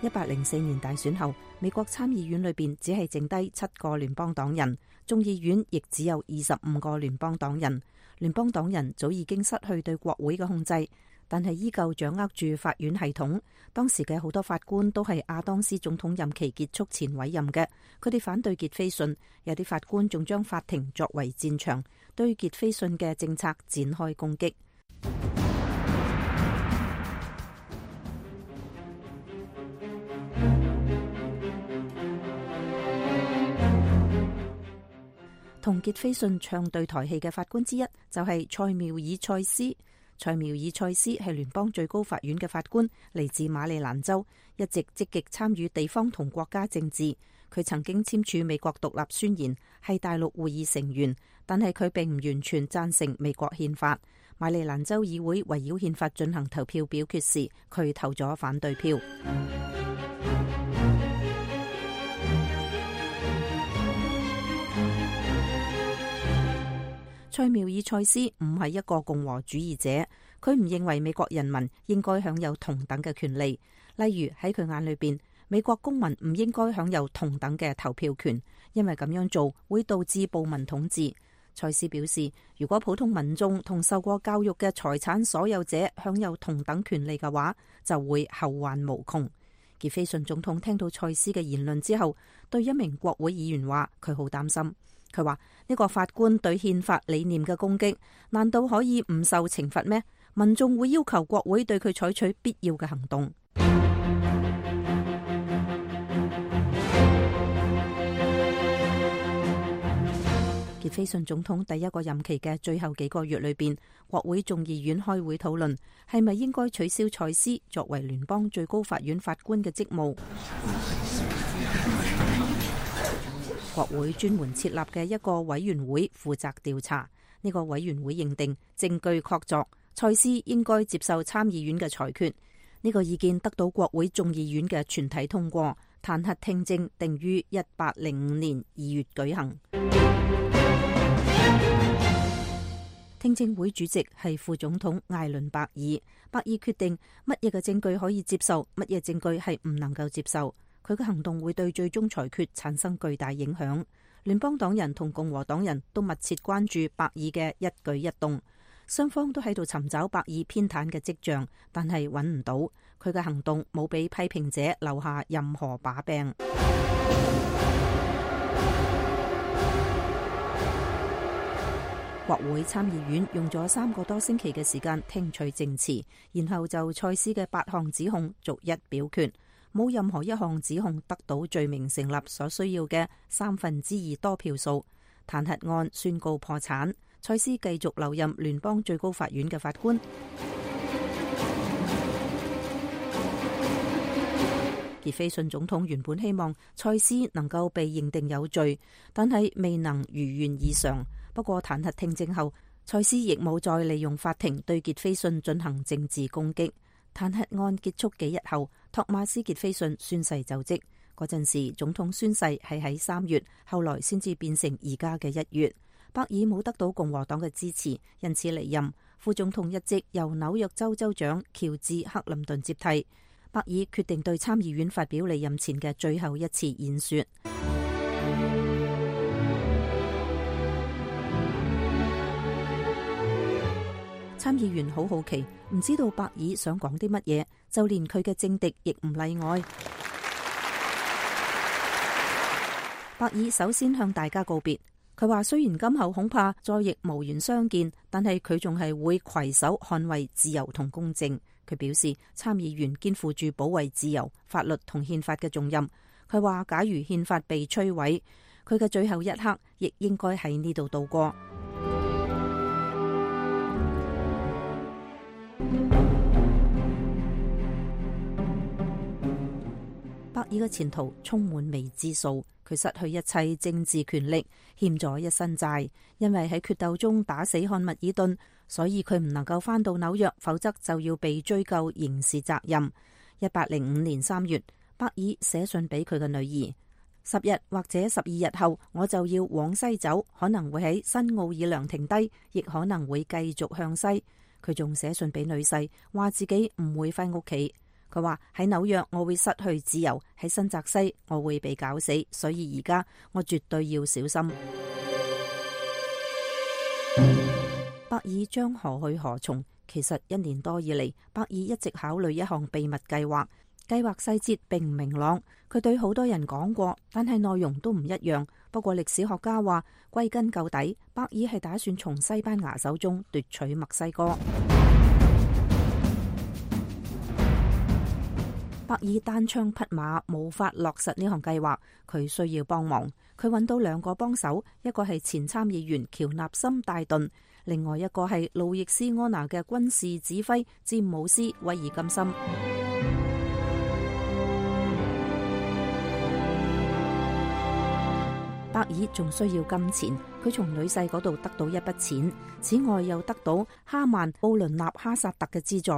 1804年大選後，美國參議院裏邊只係剩低7個聯邦黨人，眾議院亦只有25個聯邦黨人。聯邦黨人早已經失去對國會嘅控制，但係依舊掌握住法院系統。當時嘅好多法官都係亞當斯總統任期結束前委任嘅，佢哋反對傑斐遜，有啲法官仲將法庭作為戰場，對傑斐遜嘅政策展開攻擊。同傑斐遜唱對台戲嘅法官之一就係塞繆爾塞斯。塞繆爾塞斯係聯邦最高法院嘅法官，嚟自馬里蘭州，一直積極參與地方同國家政治。佢曾經簽署美國獨立宣言，係大陸會議成員，但係佢並唔完全贊成美國憲法。馬里蘭州議會圍繞憲法進行投票表決時，佢投咗反對票。塞繆爾塞斯唔係一個共和主義者，佢唔認為美國人民應該享有同等嘅權利。例如喺佢眼裏邊，美國公民唔應該享有同等嘅投票權，因為咁樣做會導致暴民統治。蔡斯表示，如果普通民眾同受過教育嘅財產所有者享有同等權利嘅話，就會後患無窮。傑斐遜總統聽到蔡斯嘅言論之後，對一名國會議員話佢好擔心。佢話呢個法官對憲法理念嘅攻擊，難道可以唔受懲罰咩？民眾會要求國會對佢採取必要嘅行動。傑斐遜總統第一個任期嘅最後幾個月裏邊，國會眾議院開會討論係咪應該取消蔡斯作為聯邦最高法院法官嘅職務。國會專門設立嘅一個委員會負責調查，呢個委員會認定證據確鑿，蔡斯應該接受參議院嘅裁決。呢個意見得到國會眾議院嘅全體通過，彈劾聽證定於1805年2月舉行。聽證會主席係副總統艾倫伯爾，伯爾決定乜嘢嘅證據可以接受，乜嘢證據係唔能夠接受。佢嘅行動會對最終裁決產生巨大影響。聯邦黨人同共和黨人都密切關注伯爾嘅一舉一動，雙方都喺度尋找伯爾偏袒嘅跡象，但係揾唔到。佢嘅行動冇俾批評者留下任何把柄。國會參議院用咗3個多星期嘅時間聽取證詞，然後就蔡斯嘅8項指控逐一表決，冇任何一項指控得到罪名成立所需要嘅2/3多票數，彈劾案宣告破產，蔡斯繼續留任聯邦最高法院嘅法官。傑斐遜總統原本希望蔡斯能夠被認定有罪，但係未能如願以償。不過彈劾聽證後，蔡斯亦冇再利用法庭對傑斐遜進行政治攻擊。彈劾案結束幾日後，托馬斯傑斐遜宣誓就職。嗰陣時總統宣誓係喺3月，後來先至變成而家嘅1月。伯爾冇得到共和黨嘅支持，因此離任。副總統一職由紐約州州長喬治克林頓接替。伯爾決定對參議院發表離任前嘅最後一次演說。參議員好好奇，唔知道伯爾想講啲乜嘢，就連佢嘅政敵亦唔例外。伯爾首先向大家告別，佢話雖然今後恐怕再亦無緣相見，但係佢仲係會攜手捍衛自由同公正。佢表示參議員肩負住保衛自由、法律同憲法嘅重任。佢話假如憲法被摧毀，佢嘅最後一刻亦應該喺呢度度過。伯爾嘅前途充滿未知數，佢失去一切政治權力，欠咗一身債，因為喺決鬥中打死漢密爾頓，所以佢唔能夠返到紐約，否則就要被追究刑事責任。1805年3月，伯爾寫信俾佢嘅女兒：10日或者12日後，我就要往西走，可能會喺新奧爾良停低，亦可能會繼續向西。佢仲寫信俾女婿，話自己唔會返屋企。佢話喺紐約我會失去自由，喺新澤西我會被搞死，所以而家我絕對要小心。伯爾將何去何從？其實1年多以嚟，伯爾一直考慮一項秘密計劃，計劃細節並唔明朗。佢對好多人講過，但係內容都唔一樣。不過歷史學家話，歸根究底，伯爾係打算從西班牙手中奪取墨西哥。伯爾單槍匹馬，無法落實呢項計劃，佢需要幫忙。佢揾到2個幫手，一個係前參議員喬納森戴頓，另外一個係路易斯安那嘅軍事指揮詹姆斯威爾金森。伯爾仲需要金錢，佢從女婿嗰度得到一筆錢，此外又得到哈曼奧倫納哈薩特嘅資助。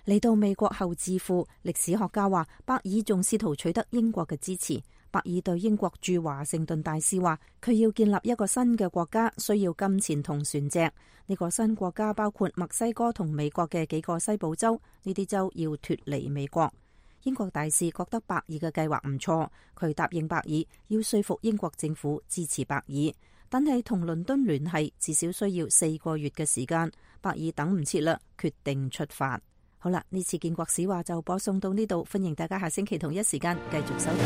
嚟到美國後致富，歷史學家話伯爾仲試圖取得英國嘅支持。伯爾對英國駐華盛頓大使話，佢要建立一個新嘅國家，需要金錢同船隻。呢個新國家包括墨西哥同美國嘅幾個西部州，呢啲州要脫離美國。英國大使覺得伯爾嘅計劃唔錯，佢答應伯爾要說服英國政府支持伯爾，但係同倫敦聯繫至少需要4個月嘅時間。伯爾等唔切啦，決定出發。好啦，呢次建國史話就播送到呢度，歡迎大家下星期同一時間繼續收聽。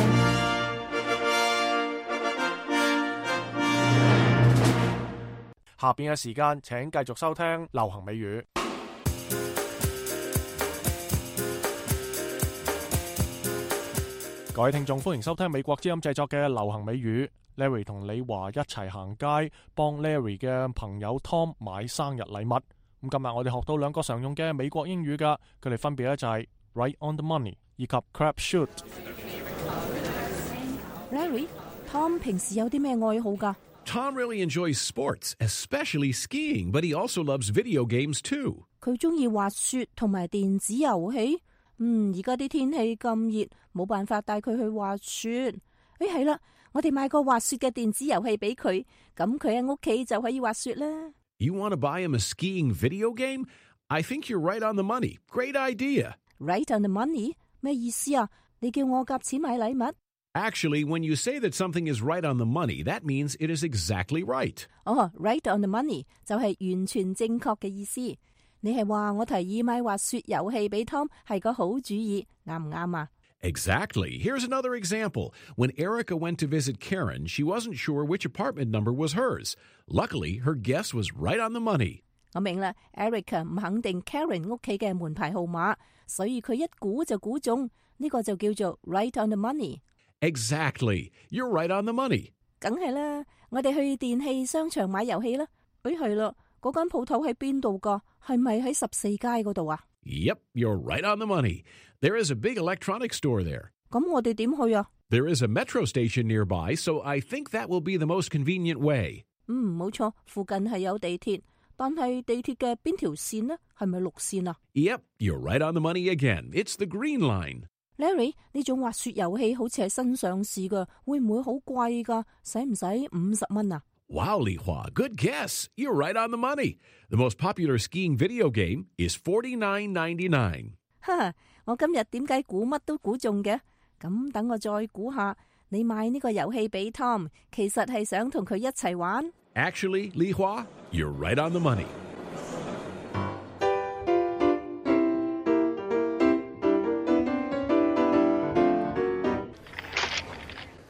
下邊嘅時間請繼續收聽流行美語。各位聽眾，歡迎收聽美國之音製作嘅流行美語。Larry 同李華一齊行街，幫 Larry 嘅朋友 Tom 買生日禮物。咁今日我哋學到2個常用嘅美國英語噶，佢哋分別咧就係 right on the money 以及 crap shoot。Larry，Tom 平時有啲咩愛好噶？ Tom really enjoys sports, especially skiing, but he also loves video games too. 佢中意滑雪同埋電子遊戲。而家啲天氣咁熱，冇辦法帶佢去滑雪。係啦，我哋買個滑雪嘅電子遊戲俾佢，咁佢喺屋企就可以滑雪啦。You want to buy him a skiing video game? I think you're right on the money. Great idea. Right on the money? 咩意思啊？你叫我夾錢買禮物？Actually, when you say that something is right on the money, that means it is exactly right. Right on the money 就係完全正確嘅意思。你係話我提議買滑雪遊戲俾 Tom 係個好主意，啱唔啱啊？ Exactly. Here's another example. When Erica went to visit Karen, she wasn't sure which apartment number was hers. Luckily, her guess was right on the money. 我明啦 ，Erica 唔肯定 Karen 屋企嘅門牌號碼，所以佢一估就估中，呢個就叫做 right on the money. Exactly. You're right on the money. 梗係啦，我哋去電器商場買遊戲啦。係啦，嗰間鋪頭喺邊度㗎？係咪喺14街嗰度啊？ Yep, you're right on the money. There is a big electronics store there. 咁我哋點去啊？ There is a metro station nearby, so I think that will be the most convenient way. 冇錯，附近係有地鐵，但係地鐵嘅邊條線呢？係咪綠線啊？ Yep, you're right on the money again. It's the green line. Larry， 呢種滑雪遊戲好似係新上市㗎，會唔會好貴㗎？使唔使50蚊啊？ Wow, Li Hua, good guess. You're right on the money. The most popular skiing video game is $49.99. 我今日點解估乜都估中嘅？咁等我再估下，你買呢個遊戲俾 Tom， 其實係想同佢一齊玩。Actually, Li Hua, you're right on the money.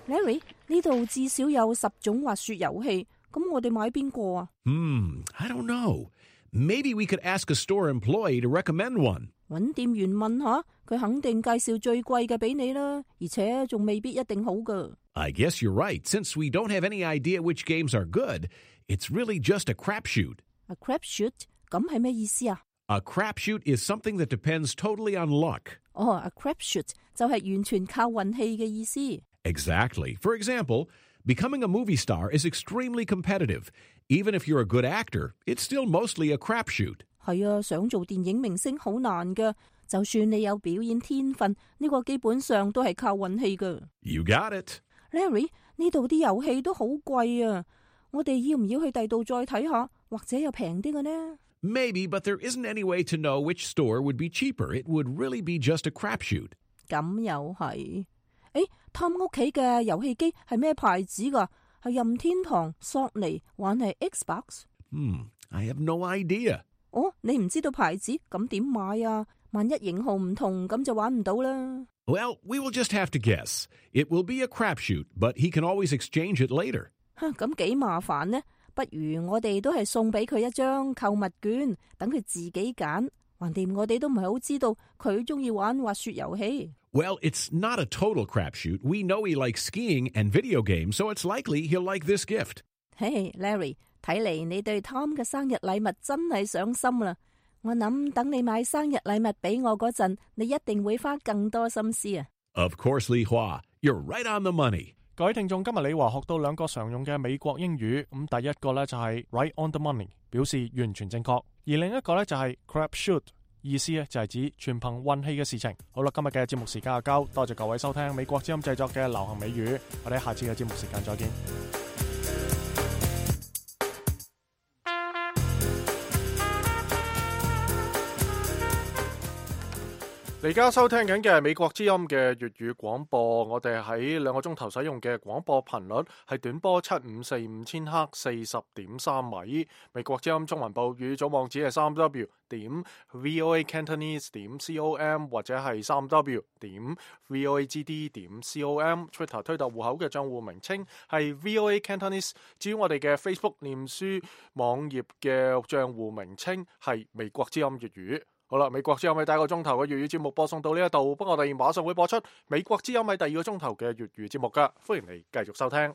Larry， 呢度至少有10種滑雪遊戲，咁我哋買邊個啊？I don't know. Maybe we could ask a store employee to recommend one. 搵店員問下，佢肯定介紹最貴嘅俾你啦，而且仲未必一定好㗎。I guess you're right. Since we don't have any idea which games are good, it's really just a crapshoot. A crapshoot？ 咁係咩意思啊？ A crapshoot is something that depends totally on luck. A crapshoot 就係完全靠運氣嘅意思。Exactly. For example, becoming a movie star is extremely competitive. Even if you're a good actor, it's still mostly a crapshoot. 係啊，想做電影明星好難㗎。就算你有表演天分，呢個基本上都係靠運氣㗎。You got it. Larry， 呢度啲遊戲都好貴啊！我哋要唔要去第度再睇下，或者有平啲嘅呢？ Maybe, but there isn't any way to know which store would be cheaper. It would really be just a crapshoot. 咁又係。Tom 屋企嘅遊戲機係咩牌子㗎？係任天堂、索尼，還係 Xbox？ I have no idea. 你唔知道牌子，咁點買啊？萬一型號唔同，咁就玩唔到啦。Well, we will just have to guess. It will be a crapshoot, but he can always exchange it later. 咁幾麻煩呢？不如我哋都係送俾佢一張購物券，等佢自己揀。橫掂我哋都唔係好知道佢中意玩滑雪遊戲。Well, it's not a total crapshoot. We know he likes skiing and video games, so it's likely he'll like this gift. Hey, Larry, 睇嚟你對 Tom 嘅生日禮物真係上心啦。我諗等你買生日禮物俾我嗰陣，你一定會花更多心思啊。Of course, Li Hua, you're right on the money. 各位聽眾，今日李華學到2個常用嘅美國英語。咁第一個呢就係 right on the money， 表示完全正確；而另一個呢就係 crapshoot， 意思呢就係指全憑運氣嘅事情。好啦，今日嘅節目時間就夠，多謝各位收聽美國之音製作嘅流行美語。我哋下次嘅節目時間再見。而家收聽緊嘅係美國之音嘅粵語廣播，我哋喺2個鐘頭使用嘅廣播頻率係短波7545千赫40.3米。美國之音中文部語組網址係3w.voacantonese.com 或者係3w.voagd.com。Twitter 推特戶口嘅賬戶名稱係 VOA Cantonese。至於我哋嘅 Facebook 臉書網頁嘅賬戶名稱係美國之音粵語。好啦，美國之音喺第1個鐘頭嘅粵語節目播送到呢一度，不過我哋馬上會播出美國之音喺第2個鐘頭嘅粵語節目噶，歡迎你繼續收聽。